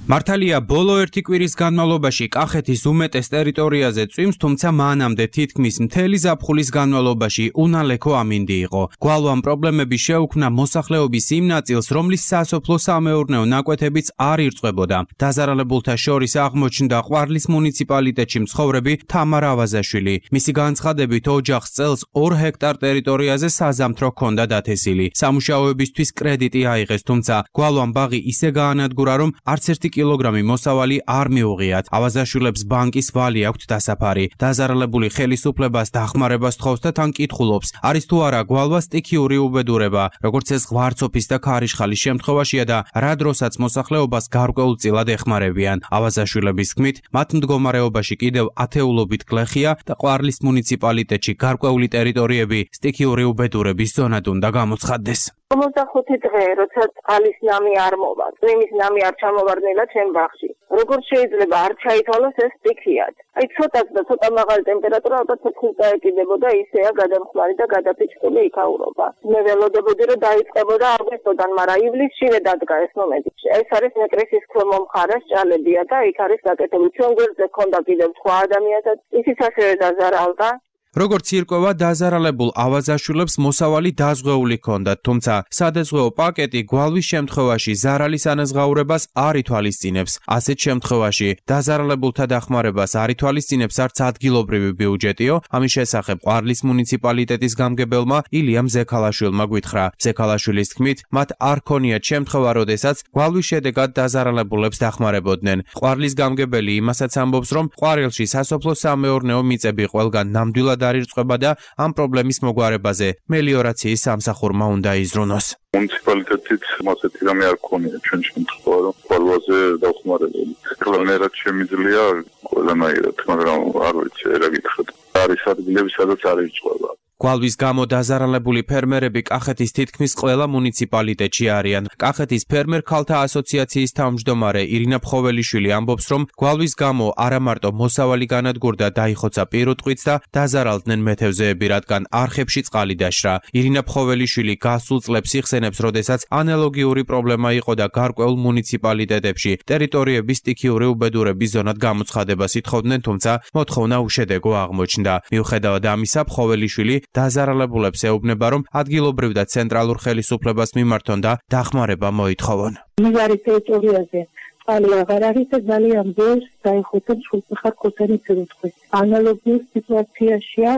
მართალია, ბოლო ერთი კვირის განმავლობაში კახეთის უმეტეს ტერიტორიაზე წვიმს, თუმცა მანამდე თითქმის მთელი ზაფხულის განმავლობაში უნალექო ამინდი იყო. გვალვამ პრობლემები შეუქმნა მოსახლეობის იმ ნაწილს, რომლის სასოფლო-სამეურნეო ნაკვეთებიც არ ირწყვებოდა. დაზარალებულთა შორის აღმოჩნდა ყვარლის მუნიციპალიტეტში მცხოვრები თამარ ავაზაშვილი. მისი განცხადებით, ოჯახს წელს 2 ჰექტარ ტერიტორიაზე საზამთრო ჰქონდა დათესილი. სამუშაოებისთვის კრედიტი აიღეს, თუმცა გვალვამ ბაღი ისე გაანადგურა, რომ არც ერთი კილოგრამი მოსავალი არ მიუღიათ. ავაზაშვილებს ბანკის ვალი აქვთ დასაფარი. დაზარალებული ხელისუფლებას დახმარებას თხოვს და თან კითხულობს, არის თუ არა გვალვა სტიქიური უბედურება, როგორც ეს ღვარცოფის და ქარიშხალის შემთხვევაშია და რა დროსაც მოსახლეობას გარკვეულწილად ეხმარებიან. ავაზაშვილების თქმით, მათ მდგომარეობაში კიდევ ათეულობით გლეხია და ყვარლის მუნიციპალიტეტში გარკვეული ტერიტორიები სტიქიური უბედურების ზონად უნდა გამოცხადდეს. 55 დღე, როცა წყალის ნამი არ მოვა, წვიმის ნამი არ ჩამოვარდნილა ჩემ ბაღში. Როგორც შეიძლება არ ჩაითვალოს ეს სტიქიად. Აი ცოტაც და ცოტა მაღალი ტემპერატურა ალბათ 4-ს დაეკიდებოდა, ისეა გადამხმარი და გადაფიჭებული იქაურობა. მე ველოდებოდი რომ დაიწყებოდა აგვისტოდან, მაგრამ ივლისშივე დადგა ეს მომენტი. ეს არის ნეკრესის ქვემო მხარეს ჭალებია და იქ არის გაკეთებული. ჩვენ გვერდზე ქონდა კიდევ სხვა ადამიანსაც, ისიც ასევე დაზარალდა. როგორც ირკვევა, დაზარალებულ ავაზაშვილებს მოსავალი დაზღვეული ჰქონდათ, თუმცა სადაზღვეო პაკეტი გვალვის შემთხვევაში ზარალის ანაზღაურებას არ ითვალისწინებს. ასეთ შემთხვევაში დაზარალებულთა დახმარებას არ ითვალისწინებს არც ადგილობრივი ბიუჯეტიო. ამის შესახებ ყვარლის მუნიციპალიტეტის გამგებელმა ილიამ ზექალაშვილმა გვითხრა. ზექალაშვილის თქმით, მათ არ ქონიათ შემთხვევა, როდესაც გვალვის შედეგად დაზარალებულებს დახმარებოდნენ. ყვარლის გამგებელი იმასაც ამბობს, რომ ყვარელში სასოფლო-სამეურნეო მიწები ყველგან ნამდვილად არ ირწყვება და ამ პრობლემის მოგვარებაზე მელიორაციის სამსახურმა უნდა იზრუნოს. მუნიციპალიტეტით ასეთი რამე არ ქონია ჩვენ შემთხვევა, რომ გვალვაზე დახმარებოდი. კლანერად შემიძლია ყველანაირად, მაგრამ არ ვიცი, რა გითხრათ. არის ადგილები, სადაც არ ირწყვება. გვალვის გამო დაზარალებული ფერმერები კახეთის თითქმის ყველა მუნიციპალიტეტში არიან. კახეთის ფერმერ ქალთა ასოციაციის თავმჯდომარე ირინა ფხოველიშვილი ამბობს, რომ გვალვის გამო არა მარტო მოსავალი განადგურდა, დაიხოცა პირუტყვიც და დაზარალდნენ მეთევზეები, რადგან არხებში წყალი დაშრა. ირინა ფხოველიშვილი გასულ წლებს იხსენებს, როდესაც ანალოგიური პრობლემა იყო და გარკვეულ მუნიციპალიტეტებში ტერიტორიების სტიქიური უბედურების ზონად გამოცხადებას ითხოვდნენ, თუმცა მოთხოვნა უშედეგო აღმოჩნდა. მიუხედავად ამისა, ფხოველიშვილი დაზარალებულებს ეუბნება, რომ ადგილობრივ და ცენტრალურ ხელისუფლებას მიმართონ და დახმარება მოითხოვონ. მიღარი ტერიტორიაზე წყალი აღარ არის და ძალიან ბევრს დაიხოცა სრულწახარ ხოსანი პირუტყვი. ანალოგიურ სიტუაციაშია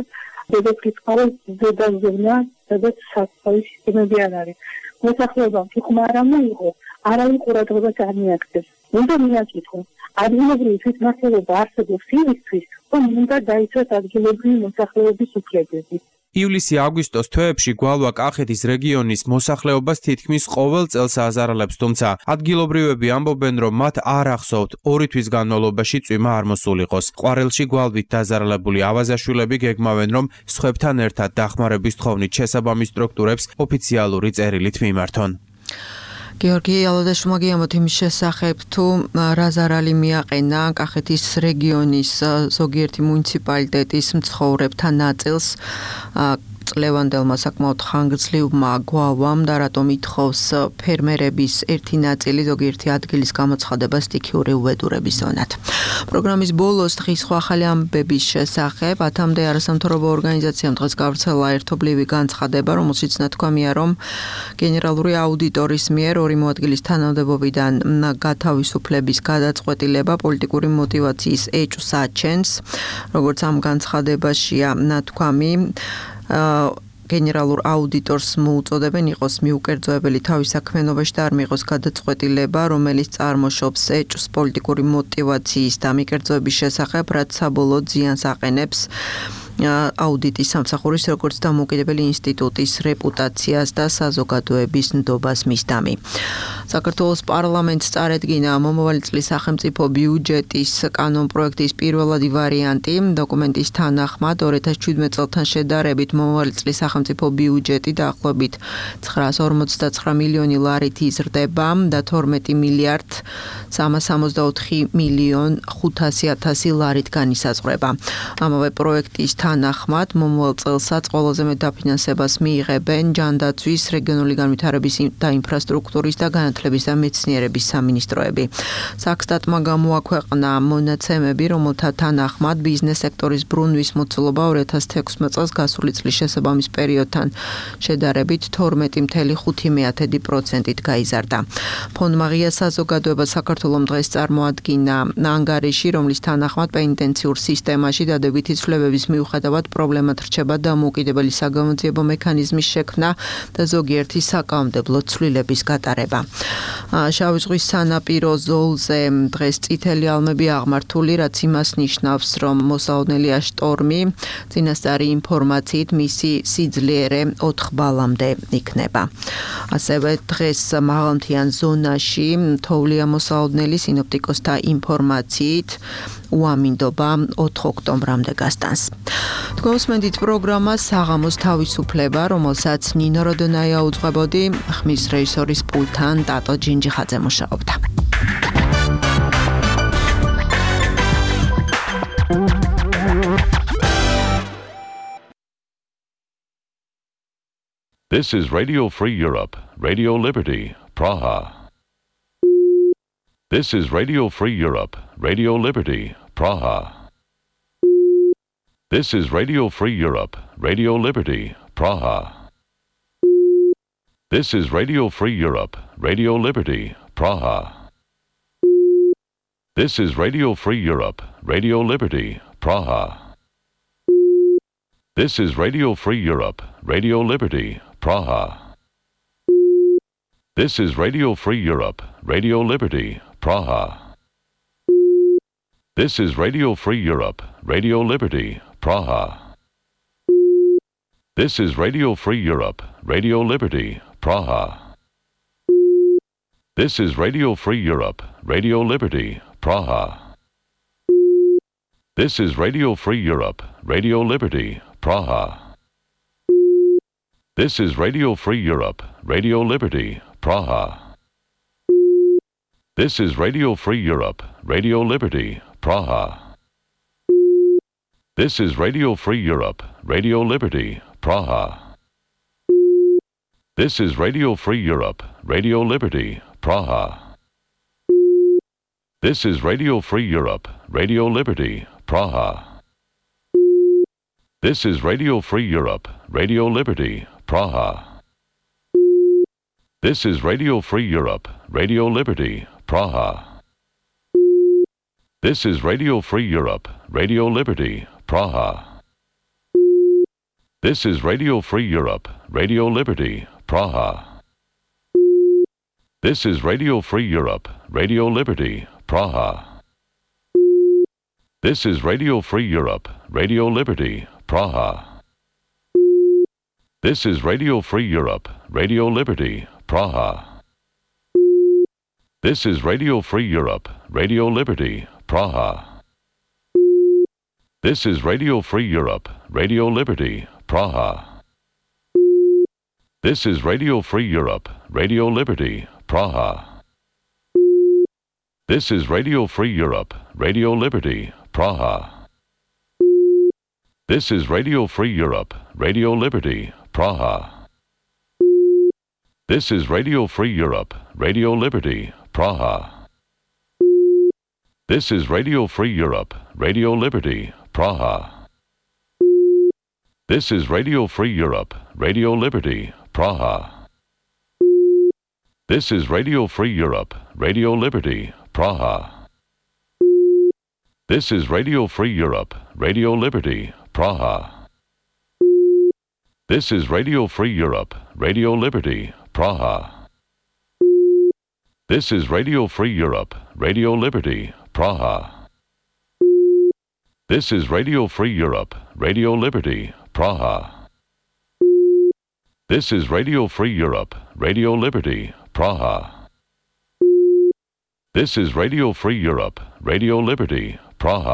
დედოფლის წყარის ზედაზევნა, სადაც საკუთარი სისტემები არ არის. მოსახლეობამ თუ ხმა არ მოიღო, არავინ ყურადღებას არ მიაქცევს. უნდა მიაკითხოს, ადგილობრივი თვითმმართველობა არსებობს იმისთვის, რომ უნდა დაიცვას ადგილობრივი მოსახლეობის უფლებები. ივლისი-აგვისტოს თვეებში გვალვა კახეთის რეგიონის მოსახლეობას თითქმის ყოველ წელს აზარალებს, თუმცა ადგილობრივები ამბობენ, რომ მათ არ ახსოვთ 2 თვის განმავლობაში წვიმა არ მოსულიყოს. ყვარელში გვალვით დაზარალებული ავაზაშვილები გეგმავენ, რომ სხვებთან ერთად დახმარების თხოვნით შესაბამის სტრუქტურებს ოფიციალური წერილით მიმართონ. გიორგი ალოდაშვილმა გიამბოთ იმის შესახებ, თუ რა ზარალი მიაყენა კახეთის რეგიონის ზოგიერთი მუნიციპალიტეტის მცხოვრებთა ნაწილს წლევანდელმა საკმაოდ ხანგრძლივმა გვალვამ და რატომ ითხოვს ფერმერების ერთი ნაწილი ზოგიერთი ადგილის გამოცხადება სტიქიური უბედურების ზონად. პროგრამის ბოლოს დღის სხვა ახალი ამბების შესახებ ათამდე არასამთავრობო ორგანიზაციამ დღეს გავრცელა ერთობლივი განცხადება, რომელშიც ნათქვამია, რომ გენერალური აუდიტორის მიერ 2 მოადგილის თანამდებობიდან გათავისუფლების გადაწყვეტილება პოლიტიკური მოტივაციის ეჭვს აჩენს, როგორც ამ განცხადებაშია ნათქვამი. გენერალურ აუდიტორს მოუწოდებენ იყოს მიუკერძოებელი თავის საქმიანობაში და არ მიიღოს გადაწყვეტილება, რომელიც წარმოშობს ეჭვს პოლიტიკური მოტივაციის და მიკერძოების შესახებ, რაც საბოლოოდ ზიანს აყენებს აუდიტის სამსახურის როგორც დამოუკიდებელი ინსტიტუტის რეპუტაციას და საზოგადოების ნდობას მისდამი. საქართველოს პარლამენტს წარედგინა მომავალი წლის სახელმწიფო ბიუჯეტის კანონპროექტის პირველადი ვარიანტი. დოკუმენტის თანახმად 2017 წელთან შედარებით მომავალი წლის სახელმწიფო ბიუჯეტი დაახლოებით 959 მილიონი ლარით იზრდება და 12 მილიარდ 364 მილიონ 500.000 ლარით განისაზღვრება. ამავე პროექტის თანახმად მომავალ წელსაც ყველაზე მეტ დაფინანსებას მიიღებენ ჯანდაცვის, რეგიონული განვითარების და ინფრასტრუქტურის და განათლების და მეცნიერების სამინისტროები. საქსტატმა გამოაქვეყნა მონაცემები, რომელთა თანახმად ბიზნეს სექტორის ბრუნვის მოცულობა 2016 წელს გასული წლის შესაბამის პერიოდთან შედარებით 12.5%-ით გაიზარდა. ფონდმა ღია საზოგადოება საქართველოს დღეს წარმოადგინა ანგარიში, რომლის თანახმად პენიტენციურ სისტემაში დადებითი ცვლილებების მიუხედავად პრობლემად რჩება დამოუკიდებელი საგამოძიებო მექანიზმის შექმნა და ზოგიერთი საკანონმდებლო ცვლილების გატარება. შავი ზღვის სანაპირო ზოლზე დღეს წითელი ალმები აღმართული, რაც იმას ნიშნავს, რომ მოსაოდნელია შტორმი, წინასწარი ინფორმაციით მისი სიძლიერე 4 ბალამდე იქნება. ასევე დღეს მაღალმთიან ზონაში თოვლია მოსაოდნელი სინოპტიკოსთა ინფორმაციით უამინდობა 4 ოქტომბრამდე გასტანს. თქვენ უსმენთ პროგრამას საღამოს თავისუფლება, რომელსაც ნინო როდონაია უძღვებოდი, ხმის რეჟისორის პულტთან ტატო ჯინჯიხაძე მუშაობდა. This is Radio Free Europe, Radio Liberty, Praha. This is Radio Free Europe, Radio Liberty, Praha. This is Radio Free Europe, Radio Liberty, Praha. This is Radio Free Europe, Radio Liberty, Praha. This is Radio Free Europe, Radio Liberty, Praha. This is Radio Free Europe, Radio Liberty, Praha. This is Radio Free Europe, Radio Liberty, Praha. This is Radio Free Europe, Radio Liberty, Praha. This is Radio Free Europe, Radio Liberty, Praha. This is Radio Free Europe, Radio Liberty, Praha. This is Radio Free Europe, Radio Liberty, Praha. This is Radio Free Europe, Radio Liberty, Praha. This is Radio Free Europe, Radio Liberty, Praha. This is Radio Free Europe, Radio Liberty, Praha. This is Radio Free Europe, Radio Liberty, Praha. This is Radio Free Europe, Radio Liberty, Praha. This is Radio Free Europe, Radio Liberty, Praha. This is Radio Free Europe, Radio Liberty, Praha. This is Radio Free Europe, Radio Liberty, Praha. This is Radio Free Europe, Radio Liberty, Praha. This is Radio Free Europe, Radio Liberty, Praha. This is Radio Free Europe, Radio Liberty, Praha. This is Radio Free Europe, Radio Liberty, Praha. This is Radio Free Europe, Radio Liberty, Praha. This is Radio Free Europe, Radio Liberty, Praha. This is Radio Free Europe, Radio Liberty, Praha. This is Radio Free Europe, Radio Liberty, Praha. This is Radio Free Europe, Radio Liberty, Praha. This is Radio Free Europe, Radio Liberty, Praha. This is Radio Free Europe, Radio Liberty, Praha. This is Radio Free Europe, Radio Liberty, Praha. This is Radio Free Europe, Radio Liberty, Praha. This is Radio Free Europe, Radio Liberty, Praha. This is Radio Free Europe, Radio Liberty, Praha. This is Radio Free Europe, Radio Liberty, Praha. This is Radio Free Europe, Radio Liberty, Praha. This is Radio Free Europe, Radio Liberty, Praha. This is Radio Free Europe, Radio Liberty, Praha.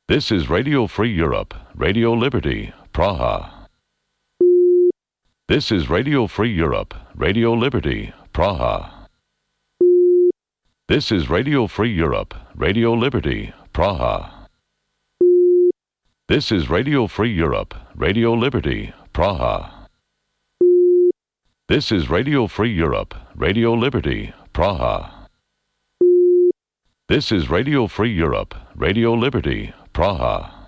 This is Radio Free Europe, Radio Liberty, Praha. This is Radio Free Europe, Radio Liberty, Praha. This is Radio Free Europe, Radio Liberty, Praha. This is Radio Free Europe, Radio Liberty, Praha. This is Radio Free Europe, Radio Liberty, Praha. This is Radio Free Europe, Radio Liberty, Praha.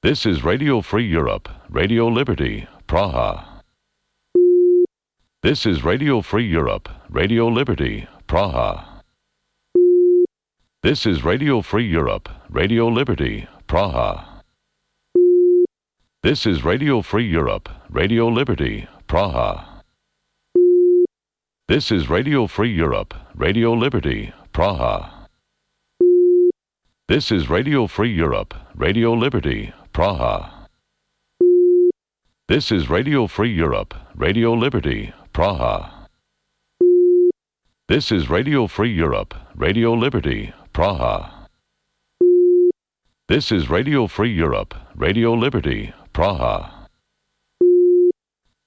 This is Radio Free Europe, Radio Liberty, Praha. This is Radio Free Europe, Radio Liberty, Praha. This is Radio Free Europe, Radio Liberty, Praha. This is Radio Free Europe, Radio Liberty, Praha. This is Radio Free Europe, Radio Liberty, Praha. This is Radio Free Europe, Radio Liberty, Praha. This is Radio Free Europe, Radio Liberty, Praha. This is Radio Free Europe, Radio Liberty, Praha. This is Radio Free Europe, Radio Liberty, Praha.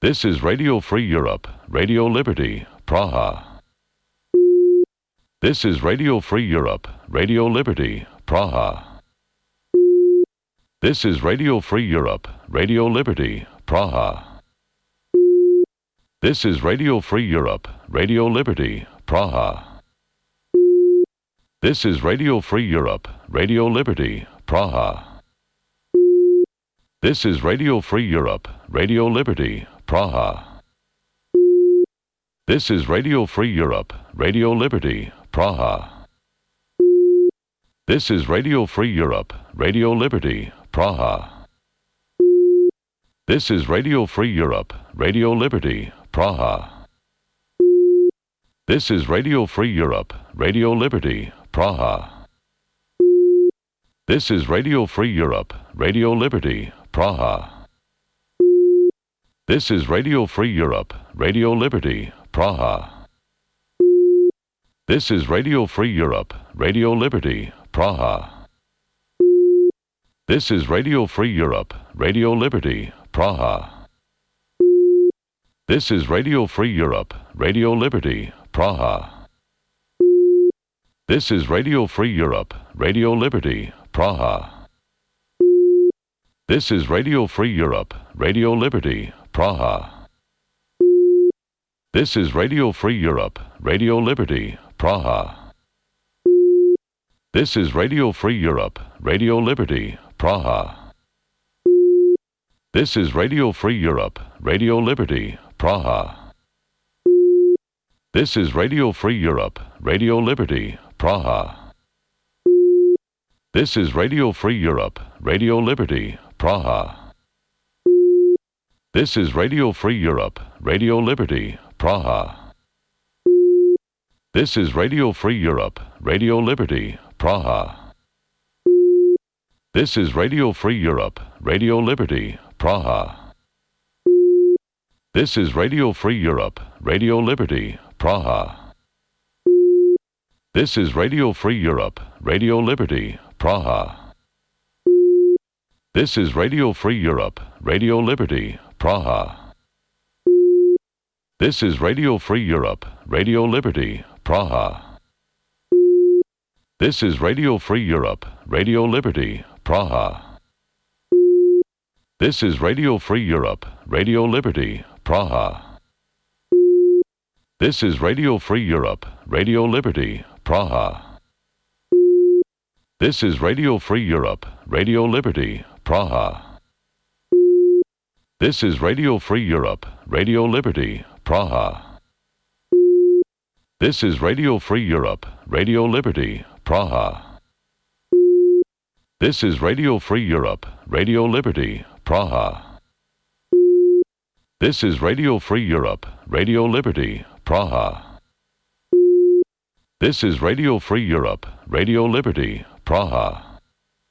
This is Radio Free Europe, Radio Liberty, Praha. This is Radio Free Europe, Radio Liberty, Praha. This is Radio Free Europe, Radio Liberty, Praha. This is Radio Free Europe, Radio Liberty, Praha. This is Radio Free Europe, Radio Liberty, Praha. This is Radio Free Europe, Radio Liberty, Praha. This is Radio Free Europe, Radio Liberty, Praha. This is Radio Free Europe, Radio Liberty, Praha. This is Radio Free Europe, Radio Liberty, Praha. This is Radio Free Europe, Radio Liberty, Praha. This is Radio Free Europe, Radio Liberty, Praha. This is Radio Free Europe, Radio Liberty, Praha. This is Radio Free Europe, Radio Liberty, Praha. This is Radio Free Europe, Radio Liberty, Praha. This is Radio Free Europe, Radio Liberty, Praha. This is Radio Free Europe, Radio Liberty, Praha. This is Radio Free Europe, Radio Liberty, Praha. This is Radio Free Europe, Radio Liberty, Praha. This is Radio Free Europe, Radio Liberty, Praha. This is Radio Free Europe, Radio Liberty, Praha. This is Radio Free Europe, Radio Liberty, Praha. This is Radio Free Europe, Radio Liberty, Praha. This is Radio Free Europe, Radio Liberty, Praha. This is Radio Free Europe, Radio Liberty, Praha. This is Radio Free Europe, Radio Liberty, Praha. This is Radio Free Europe, Radio Liberty, Praha. This is Radio Free Europe, Radio Liberty, Praha. This is Radio Free Europe, Radio Liberty, Praha. This is Radio Free Europe, Radio Liberty, Praha. This is Radio Free Europe, Radio Liberty, Praha. This is Radio Free Europe, Radio Liberty, Praha. This is Radio Free Europe, Radio Liberty, Praha. This is Radio Free Europe, Radio Liberty, Praha. This is Radio Free Europe, Radio Liberty, Praha. This is Radio Free Europe, Radio Liberty, Praha. This is Radio Free Europe, Radio Liberty, Praha. This is Radio Free Europe, Radio Liberty, Praha. This is Radio Free Europe,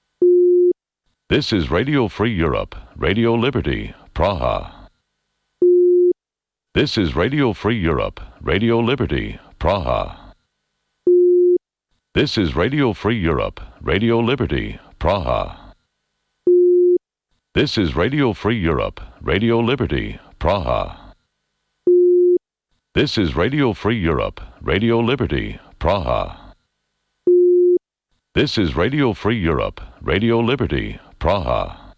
Radio Liberty, Praha. This is Radio Free Europe, Radio Liberty, Praha. This is Radio Free Europe, Radio Liberty, Praha. This is Radio Free Europe, Radio Liberty, Praha. This is Radio Free Europe, Radio Liberty, Praha. This is Radio Free Europe, Radio Liberty, Praha. This is Radio Free Europe, Radio Liberty, Praha.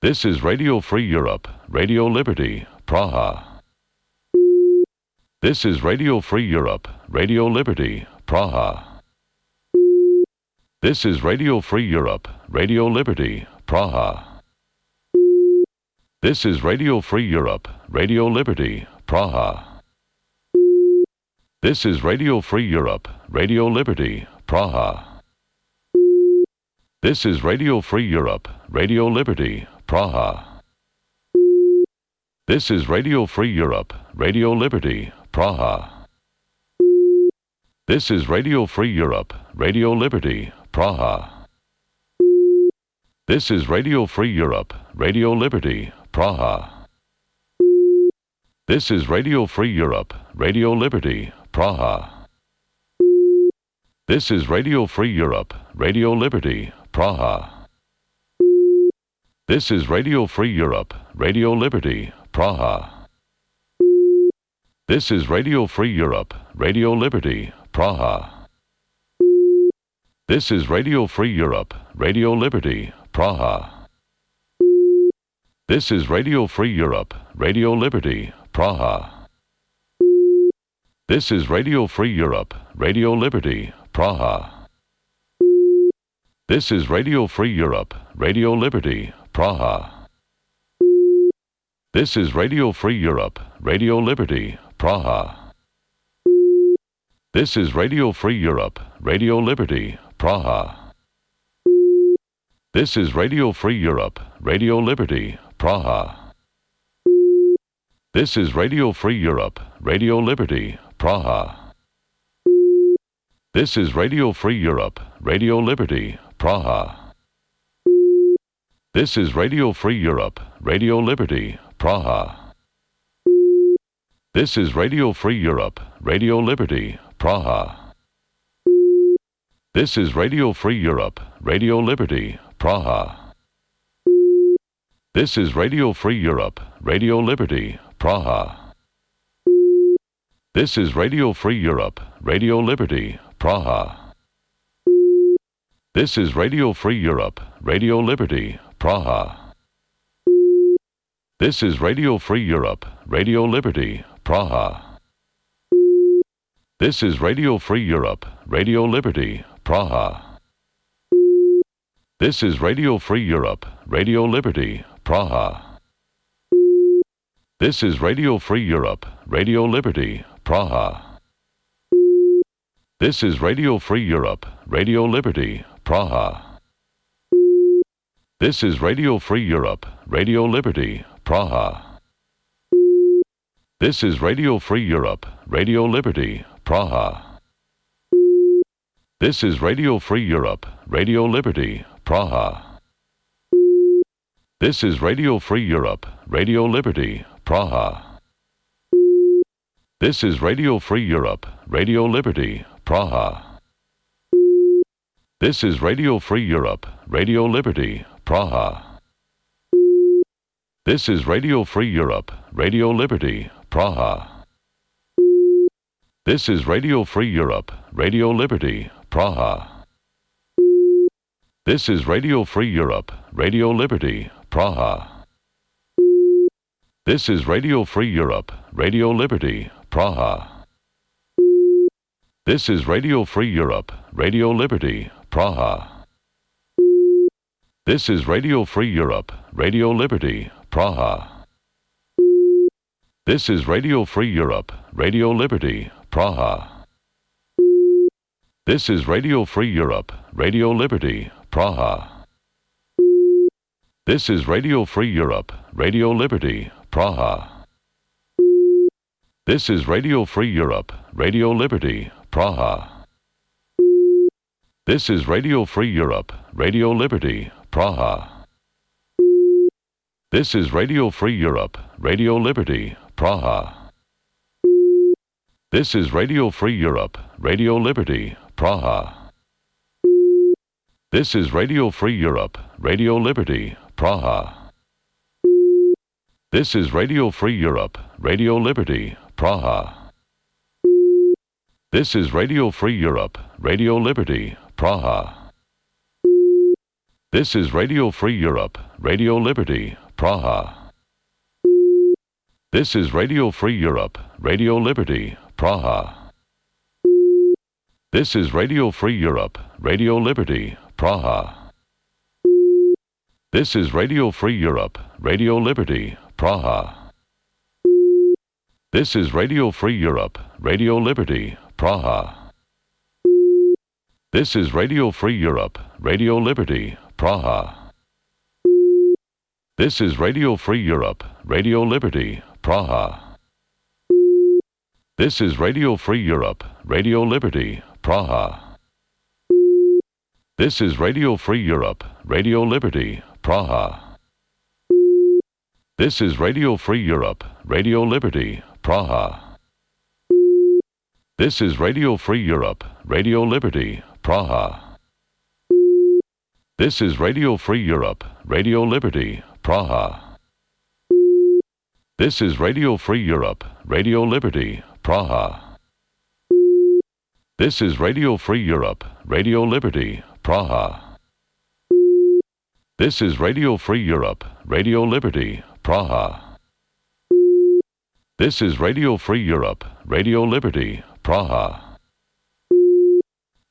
This is Radio Free Europe, Radio Liberty, Praha. This is Radio Free Europe, Radio Liberty, Praha. This is Radio Free Europe, Radio Liberty, Praha. This is Radio Free Europe, Radio Liberty, Praha. This is Radio Free Europe, Radio Liberty, Praha. This is Radio Free Europe, Radio Liberty, Praha. This is Radio Free Europe, Radio Liberty, Praha. This is Radio Free Europe, Radio Liberty, Praha. This is Radio Free Europe, Radio Liberty, Praha. This is Radio Free Europe, Radio Liberty, Praha. This is Radio Free Europe, Radio Liberty, Praha. This is Radio Free Europe, Radio Liberty, Praha. This is Radio Free Europe, Radio Liberty, Praha. This is Radio Free Europe, Radio Liberty, Praha. This is Radio Free Europe, Radio Liberty, Praha. This is Radio Free Europe, Radio Liberty, Praha. This is Radio Free Europe, Radio Liberty, Praha. This is Radio Free Europe, Radio Liberty, Praha. This is Radio Free Europe, Radio Liberty, Praha. This is Radio Free Europe, Radio Liberty, Praha. This is Radio Free Europe, Radio Liberty, Praha. This is Radio Free Europe, Radio Liberty, Praha. This is Radio Free Europe, Radio Liberty, Praha. This is Radio Free Europe, Radio Liberty, Praha. This is Radio Free Europe, Radio Liberty, Praha. This is Radio Free Europe, Radio Liberty, Praha. This is Radio Free Europe, Radio Liberty, Praha. This is Radio Free Europe, Radio Liberty, Praha. This is Radio Free Europe, Radio Liberty, Praha. This is Radio Free Europe, Radio Liberty, Praha. This is Radio Free Europe, Radio Liberty, Praha. This is Radio Free Europe, Radio Liberty, Praha. This is Radio Free Europe, Radio Liberty, Praha. This is Radio Free Europe, Radio Liberty, Praha. This is Radio Free Europe, Radio Liberty, Praha. This is Radio Free Europe, Radio Liberty, Praha. This is Radio Free Europe, Radio Liberty, Praha. This is Radio Free Europe, Radio Liberty, Praha. This is Radio Free Europe, Radio Liberty, Praha. This is Radio Free Europe, Radio Liberty, Praha. This is Radio Free Europe, Radio Liberty, Praha. This is Radio Free Europe, Radio Liberty, Praha. This is Radio Free Europe, Radio Liberty, Praha. This is Radio Free Europe, Radio Liberty, Praha. This is Radio Free Europe, Radio Liberty, Praha. This is Radio Free Europe, Radio Liberty, Praha. This is Radio Free Europe, Radio Liberty, Praha. This is Radio Free Europe, Radio Liberty, Praha. This is Radio Free Europe, Radio Liberty, Praha. This is Radio Free Europe, Radio Liberty, Praha. This is Radio Free Europe, Radio Liberty, Praha. This is Radio Free Europe, Radio Liberty, Praha. This is Radio Free Europe, Radio Liberty, Praha. This is Radio Free Europe, Radio Liberty, Praha. This is Radio Free Europe, Radio Liberty, Praha. This is Radio Free Europe, Radio Liberty, Praha. This is Radio Free Europe, Radio Liberty, Praha. This is Radio Free Europe, Radio Liberty, Praha. This is Radio Free Europe, Radio Liberty, Praha. This is Radio Free Europe, Radio Liberty, Praha. This is Radio Free Europe, Radio Liberty, Praha. This is Radio Free Europe, Radio Liberty, Praha. This is Radio Free Europe, Radio Liberty, Praha. This is Radio Free Europe, Radio Liberty, Praha. This is Radio Free Europe, Radio Liberty, Praha. This is Radio Free Europe, Radio Liberty, Praha. This is Radio Free Europe, Radio Liberty, Praha. This is Radio Free Europe, Radio Liberty, Praha. This is Radio Free Europe, Radio Liberty, Praha. This is Radio Free Europe, Radio Liberty, Praha. This is Radio Free Europe, Radio Liberty, Praha.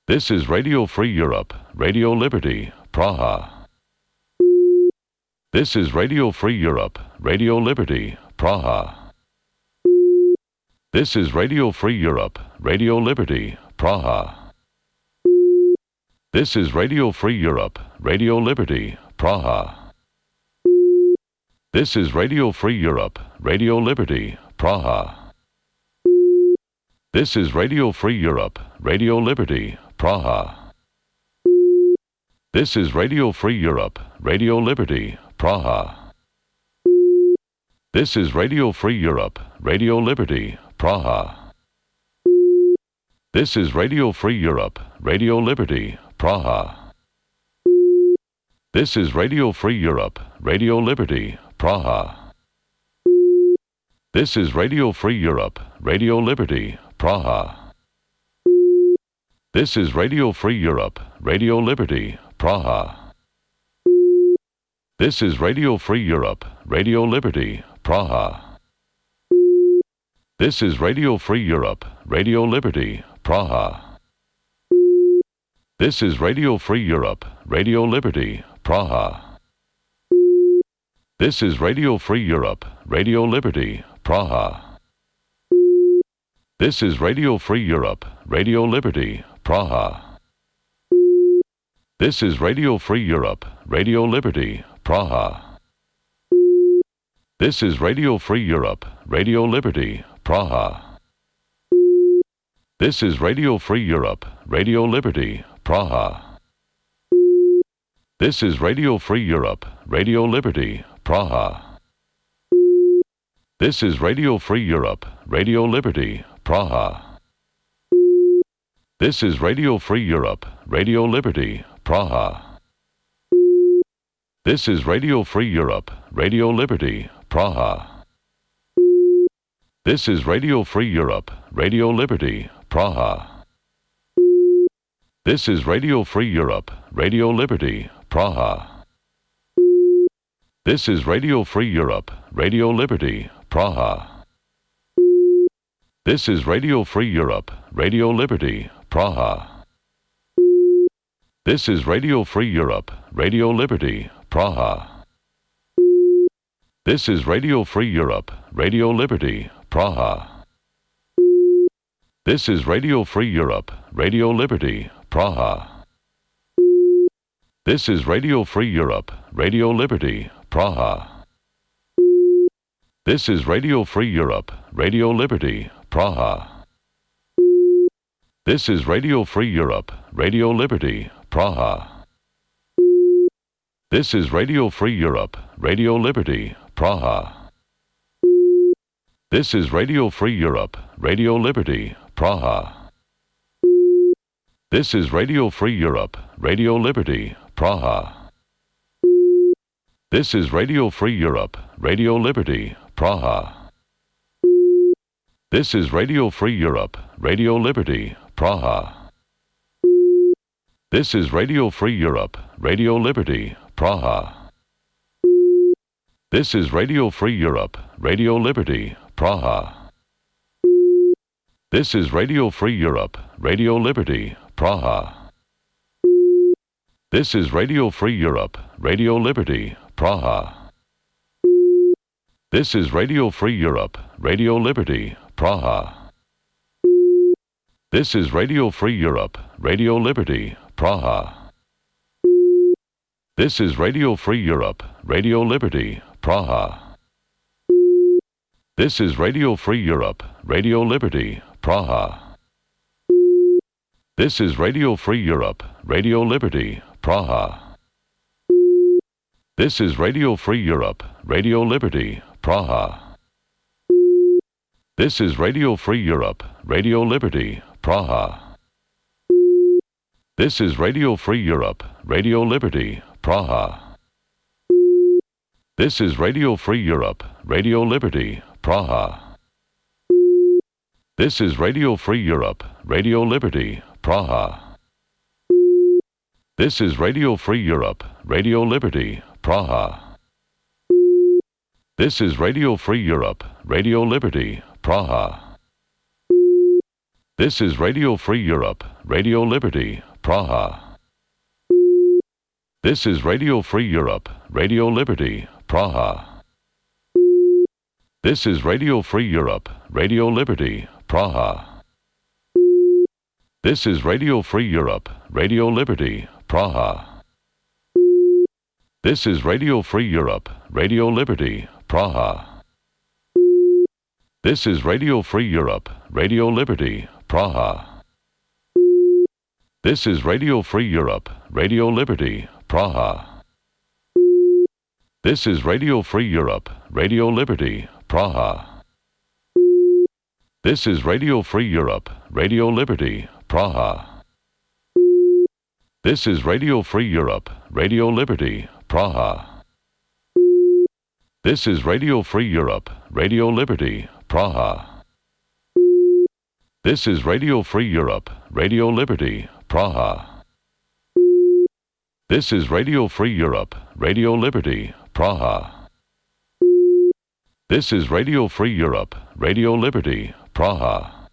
This is Radio Free Europe, Radio Liberty, Praha. This is Radio Free Europe, Radio Liberty, Praha. This is Radio Free Europe, Radio Liberty, Praha. This is Radio Free Europe, Radio Liberty, Praha. This is Radio Free Europe, Radio Liberty, Praha. This is Radio Free Europe, Radio Liberty, Praha. This is Radio Free Europe, Radio Liberty, Praha. This is Radio Free Europe, Radio Liberty, Praha. This is Radio Free Europe, Radio Liberty, Praha. This is Radio Free Europe, Radio Liberty, Praha. This is Radio Free Europe, Radio Liberty, Praha. This is Radio Free Europe, Radio Liberty, Praha. This is Radio Free Europe, Radio Liberty, Praha. This is Radio Free Europe, Radio Liberty, Praha. This is Radio Free Europe, Radio Liberty, Praha. This is Radio Free Europe, Radio Liberty, Praha. This is Radio Free Europe, Radio Liberty, Praha. This is Radio Free Europe, Radio Liberty, Praha. This is Radio Free Europe, Radio Liberty, Praha. This is Radio Free Europe, Radio Liberty, Praha. This is Radio Free Europe, Radio Liberty, Praha. This is Radio Free Europe, Radio Liberty, Praha. This is Radio Free Europe, Radio Liberty, Praha. This is Radio Free Europe, Radio Liberty, Praha. This is Radio Free Europe, Radio Liberty, Praha. This is Radio Free Europe, Radio Liberty, Praha. This is Radio Free Europe, Radio Liberty, Praha. This is Radio Free Europe, Radio Liberty, Praha. This is Radio Free Europe, Radio Liberty, Praha. This is Radio Free Europe, Radio Liberty, Praha. This is Radio Free Europe, Radio Liberty, Praha. This is Radio Free Europe, Radio Liberty, Praha. This is Radio Free Europe, Radio Liberty, Praha. This is Radio Free Europe, Radio Liberty, Praha. This is Radio Free Europe, Radio Liberty, Praha. This is Radio Free Europe, Radio Liberty, Praha. This is Radio Free Europe, Radio Liberty, Praha. This is Radio Free Europe, Radio Liberty, Praha. This is Radio Free Europe, Radio Liberty, Praha. This is Radio Free Europe, Radio Liberty, Praha. This is Radio Free Europe, Radio Liberty, Praha. This is Radio Free Europe, Radio Liberty, Praha. This is Radio Free Europe, Radio Liberty, Praha. This is Radio Free Europe, Radio Liberty, Praha. This is Radio Free Europe, Radio Liberty, Praha. This is Radio Free Europe, Radio Liberty, Praha. This is Radio Free Europe, Radio Liberty, Praha. This is Radio Free Europe, Radio Liberty, Praha. This is Radio Free Europe, Radio Liberty, Praha. This is Radio Free Europe, Radio Liberty, Praha. This is Radio Free Europe, Radio Liberty, Praha. This is Radio Free Europe, Radio Liberty, Praha. This is Radio Free Europe, Radio Liberty, Praha. This is Radio Free Europe, Radio Liberty, Praha. This is Radio Free Europe, Radio Liberty, Praha. This is Radio Free Europe, Radio Liberty, Praha. This is Radio Free Europe, Radio Liberty, Praha. This is Radio Free Europe, Radio Liberty, Praha. This is Radio Free Europe, Radio Liberty, Praha. This is Radio Free Europe, Radio Liberty, Praha. This is Radio Free Europe, Radio Liberty, Praha. This is Radio Free Europe, Radio Liberty, Praha. This is Radio Free Europe, Radio Liberty, Praha. This is Radio Free Europe, Radio Liberty, Praha. This is Radio Free Europe, Radio Liberty, Praha. This is Radio Free Europe, Radio Liberty, Praha. This is Radio Free Europe, Radio Liberty, Praha. This is Radio Free Europe, Radio Liberty, Praha. This is Radio Free Europe, Radio Liberty, Praha.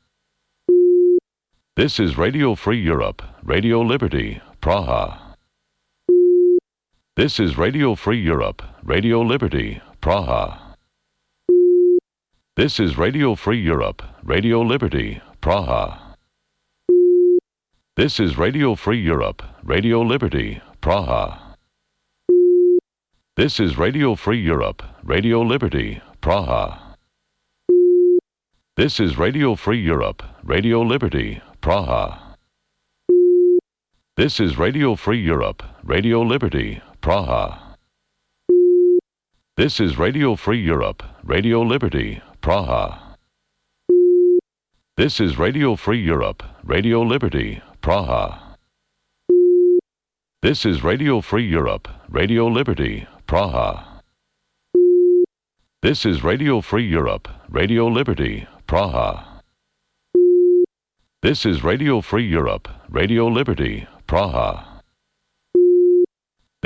This is Radio Free Europe, Radio Liberty, Praha. This is Radio Free Europe, Radio Liberty, Praha. This is Radio Free Europe, Radio Liberty, Praha. This is Radio Free Europe, Radio Liberty, Praha. This is Radio Free Europe, Radio Liberty, Praha. This is Radio Free Europe, Radio Liberty, Praha. This is Radio Free Europe, Radio Liberty, Praha. This is Radio Free Europe, Radio Liberty, Praha. This is Radio Free Europe, Radio Liberty, Praha. This is Radio Free Europe, Radio Liberty, Praha. This is Radio Free Europe, Radio Liberty, Praha. This is Radio Free Europe, Radio Liberty, Praha.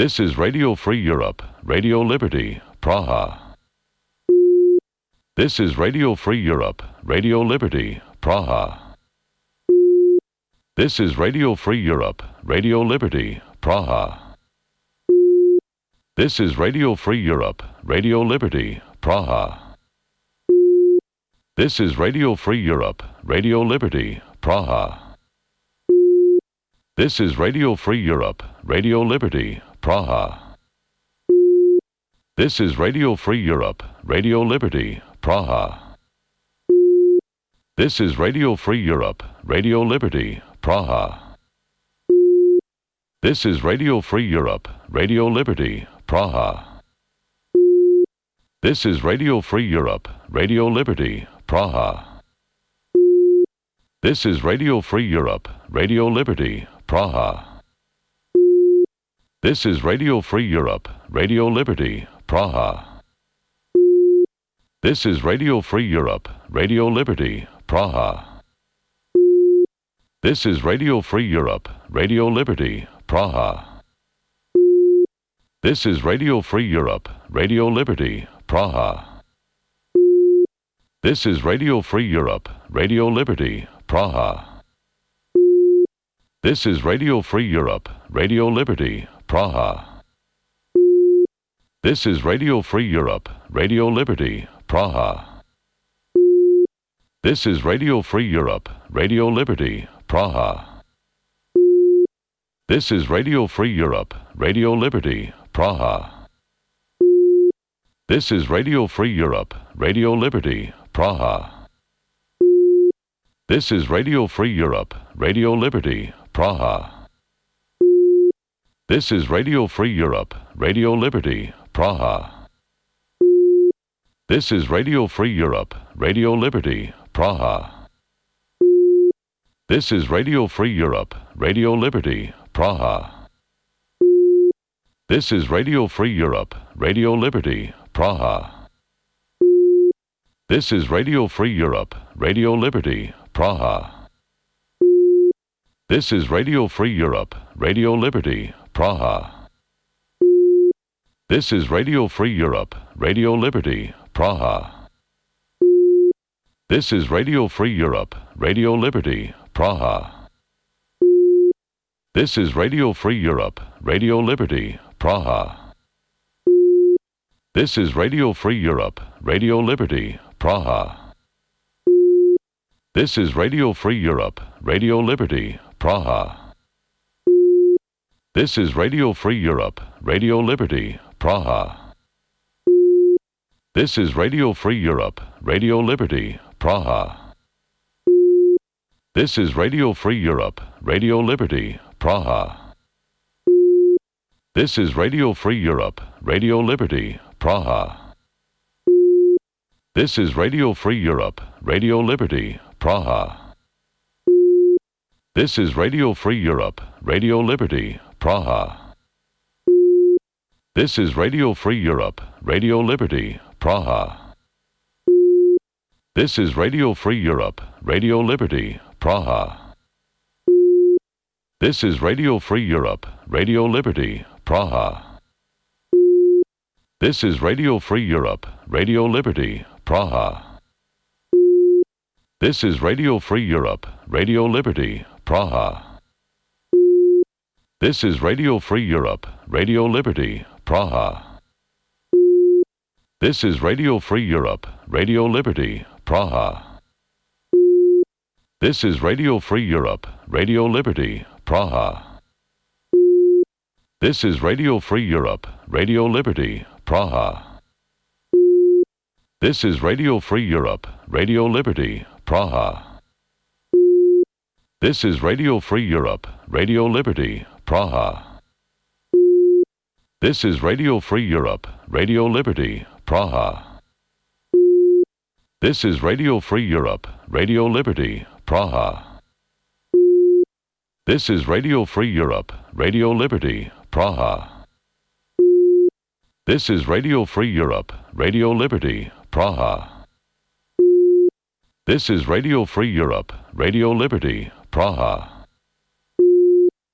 This is Radio Free Europe, Radio Liberty, Praha. This is Radio Free Europe, Radio Liberty, Praha. This is Radio Free Europe, Radio Liberty, Praha. This is Radio Free Europe, Radio Liberty, Praha. This is Radio Free Europe, Radio Liberty, Praha. This is Radio Free Europe, Radio Liberty, Praha. This is Radio Free Europe, Radio Liberty, Praha. This is Radio Free Europe, Radio Liberty, Praha. This is Radio Free Europe, Radio Liberty, Praha. This is Radio Free Europe, Radio Liberty, Praha. This is Radio Free Europe, Radio Liberty, Praha. This is Radio Free Europe, Radio Liberty, Praha. This is Radio Free Europe, Radio Liberty, Praha. This is Radio Free Europe, Radio Liberty, Praha. This is Radio Free Europe, Radio Liberty, Praha. This is Radio Free Europe, Radio Liberty, Praha. This is Radio Free Europe, Radio Liberty, Praha. This is Radio Free Europe, Radio Liberty, Praha. This is Radio Free Europe, Radio Liberty, Praha. This is Radio Free Europe, Radio Liberty, Praha. This is Radio Free Europe, Radio Liberty, Praha. This is Radio Free Europe, Radio Liberty, Praha. This is Radio Free Europe, Radio Liberty, Praha. This is Radio Free Europe, Radio Liberty, Praha. This is Radio Free Europe, Radio Liberty, Praha. This is Radio Free Europe, Radio Liberty, Praha. This is Radio Free Europe, Radio Liberty, Praha. This is Radio Free Europe, Radio Liberty, Praha. This is Radio Free Europe, Radio Liberty, Praha. This is Radio Free Europe, Radio Liberty, Praha. This is Radio Free Europe, Radio Liberty, Praha. This is Radio Free Europe, Radio Liberty, Praha. This is Radio Free Europe, Radio Liberty, Praha. This is Radio Free Europe, Radio Liberty, Praha. This is Radio Free Europe, Radio Liberty, Praha. This is Radio Free Europe, Radio Liberty, Praha. This is Radio Free Europe, Radio Liberty, Praha. This is Radio Free Europe, Radio Liberty, Praha. This is Radio Free Europe, Radio Liberty, Praha. This is Radio Free Europe, Radio Liberty, Praha. This is Radio Free Europe, Radio Liberty, Praha. This is Radio Free Europe, Radio Liberty, Praha. This is Radio Free Europe, Radio Liberty, Praha. This is Radio Free Europe, Radio Liberty, Praha. This is Radio Free Europe, Radio Liberty, Praha. This is Radio Free Europe, Radio Liberty, Praha. This is Radio Free Europe, Radio Liberty, Praha. This is Radio Free Europe, Radio Liberty, Praha. This is Radio Free Europe, Radio Liberty, Praha. This is Radio Free Europe, Radio Liberty, Praha. This is Radio Free Europe, Radio Liberty, Praha. This is Radio Free Europe, Radio Liberty, Praha. This is Radio Free Europe, Radio Liberty, Praha. This is Radio Free Europe, Radio Liberty, Praha. This is Radio Free Europe, Radio Liberty,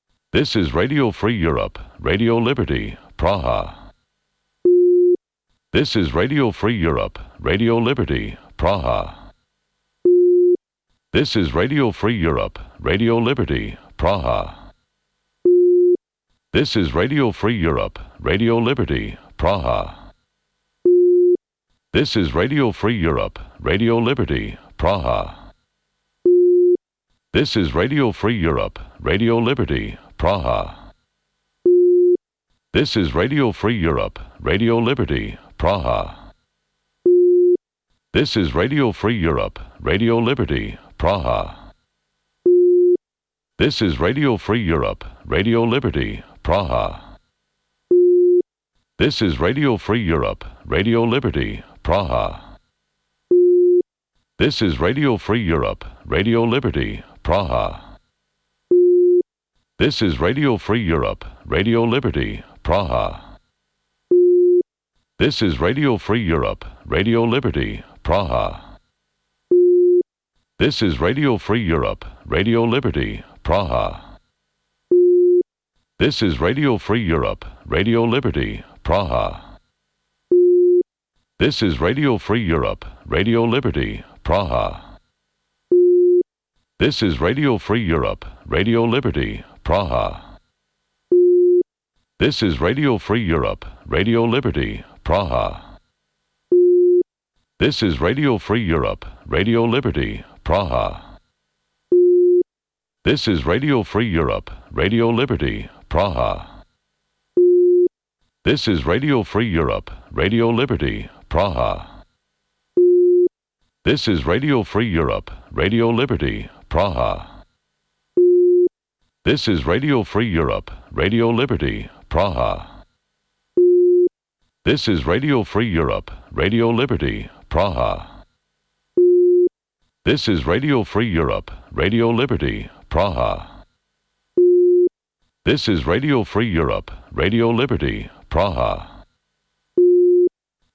Praha. This is Radio Free Europe, Radio Liberty, Praha. This is Radio Free Europe, Radio Liberty, Praha. This is Radio Free Europe, Radio Liberty, Praha. This is Radio Free Europe, Radio Liberty, Praha. This is Radio Free Europe, Radio Liberty, Praha. This is Radio Free Europe, Radio Liberty, Praha. This is Radio Free Europe, Radio Liberty, Praha. This is Radio Free Europe, Radio Liberty, Praha. This is Radio Free Europe, Radio Liberty, Praha. This is Radio Free Europe, Radio Liberty, Praha. This is Radio Free Europe, Radio Liberty, Praha. This is Radio Free Europe, Radio Liberty, Praha. This is Radio Free Europe, Radio Liberty, Praha. This is Radio Free Europe, Radio Liberty, Praha. This is Radio Free Europe, Radio Liberty, Praha. This is Radio Free Europe, Radio Liberty, Praha. This is Radio Free Europe, Radio Liberty, Praha. This is Radio Free Europe, Radio Liberty, Praha. This is Radio Free Europe, Radio Liberty, Praha. This is Radio Free Europe, Radio Liberty, Praha. This is Radio Free Europe, Radio Liberty, Praha. This is Radio Free Europe, Radio Liberty, Praha. This is Radio Free Europe, Radio Liberty, Praha. This is Radio Free Europe, Radio Liberty, Praha. This is Radio Free Europe, Radio Liberty, Praha. This is Radio Free Europe, Radio Liberty, Praha.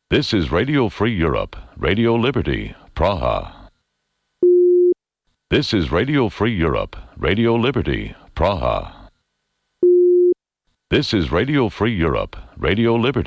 This is Radio Free Europe, Radio Liberty, Praha. This is Radio Free Europe, Radio Liberty, Praha. This is Radio Free Europe, Radio Liberty.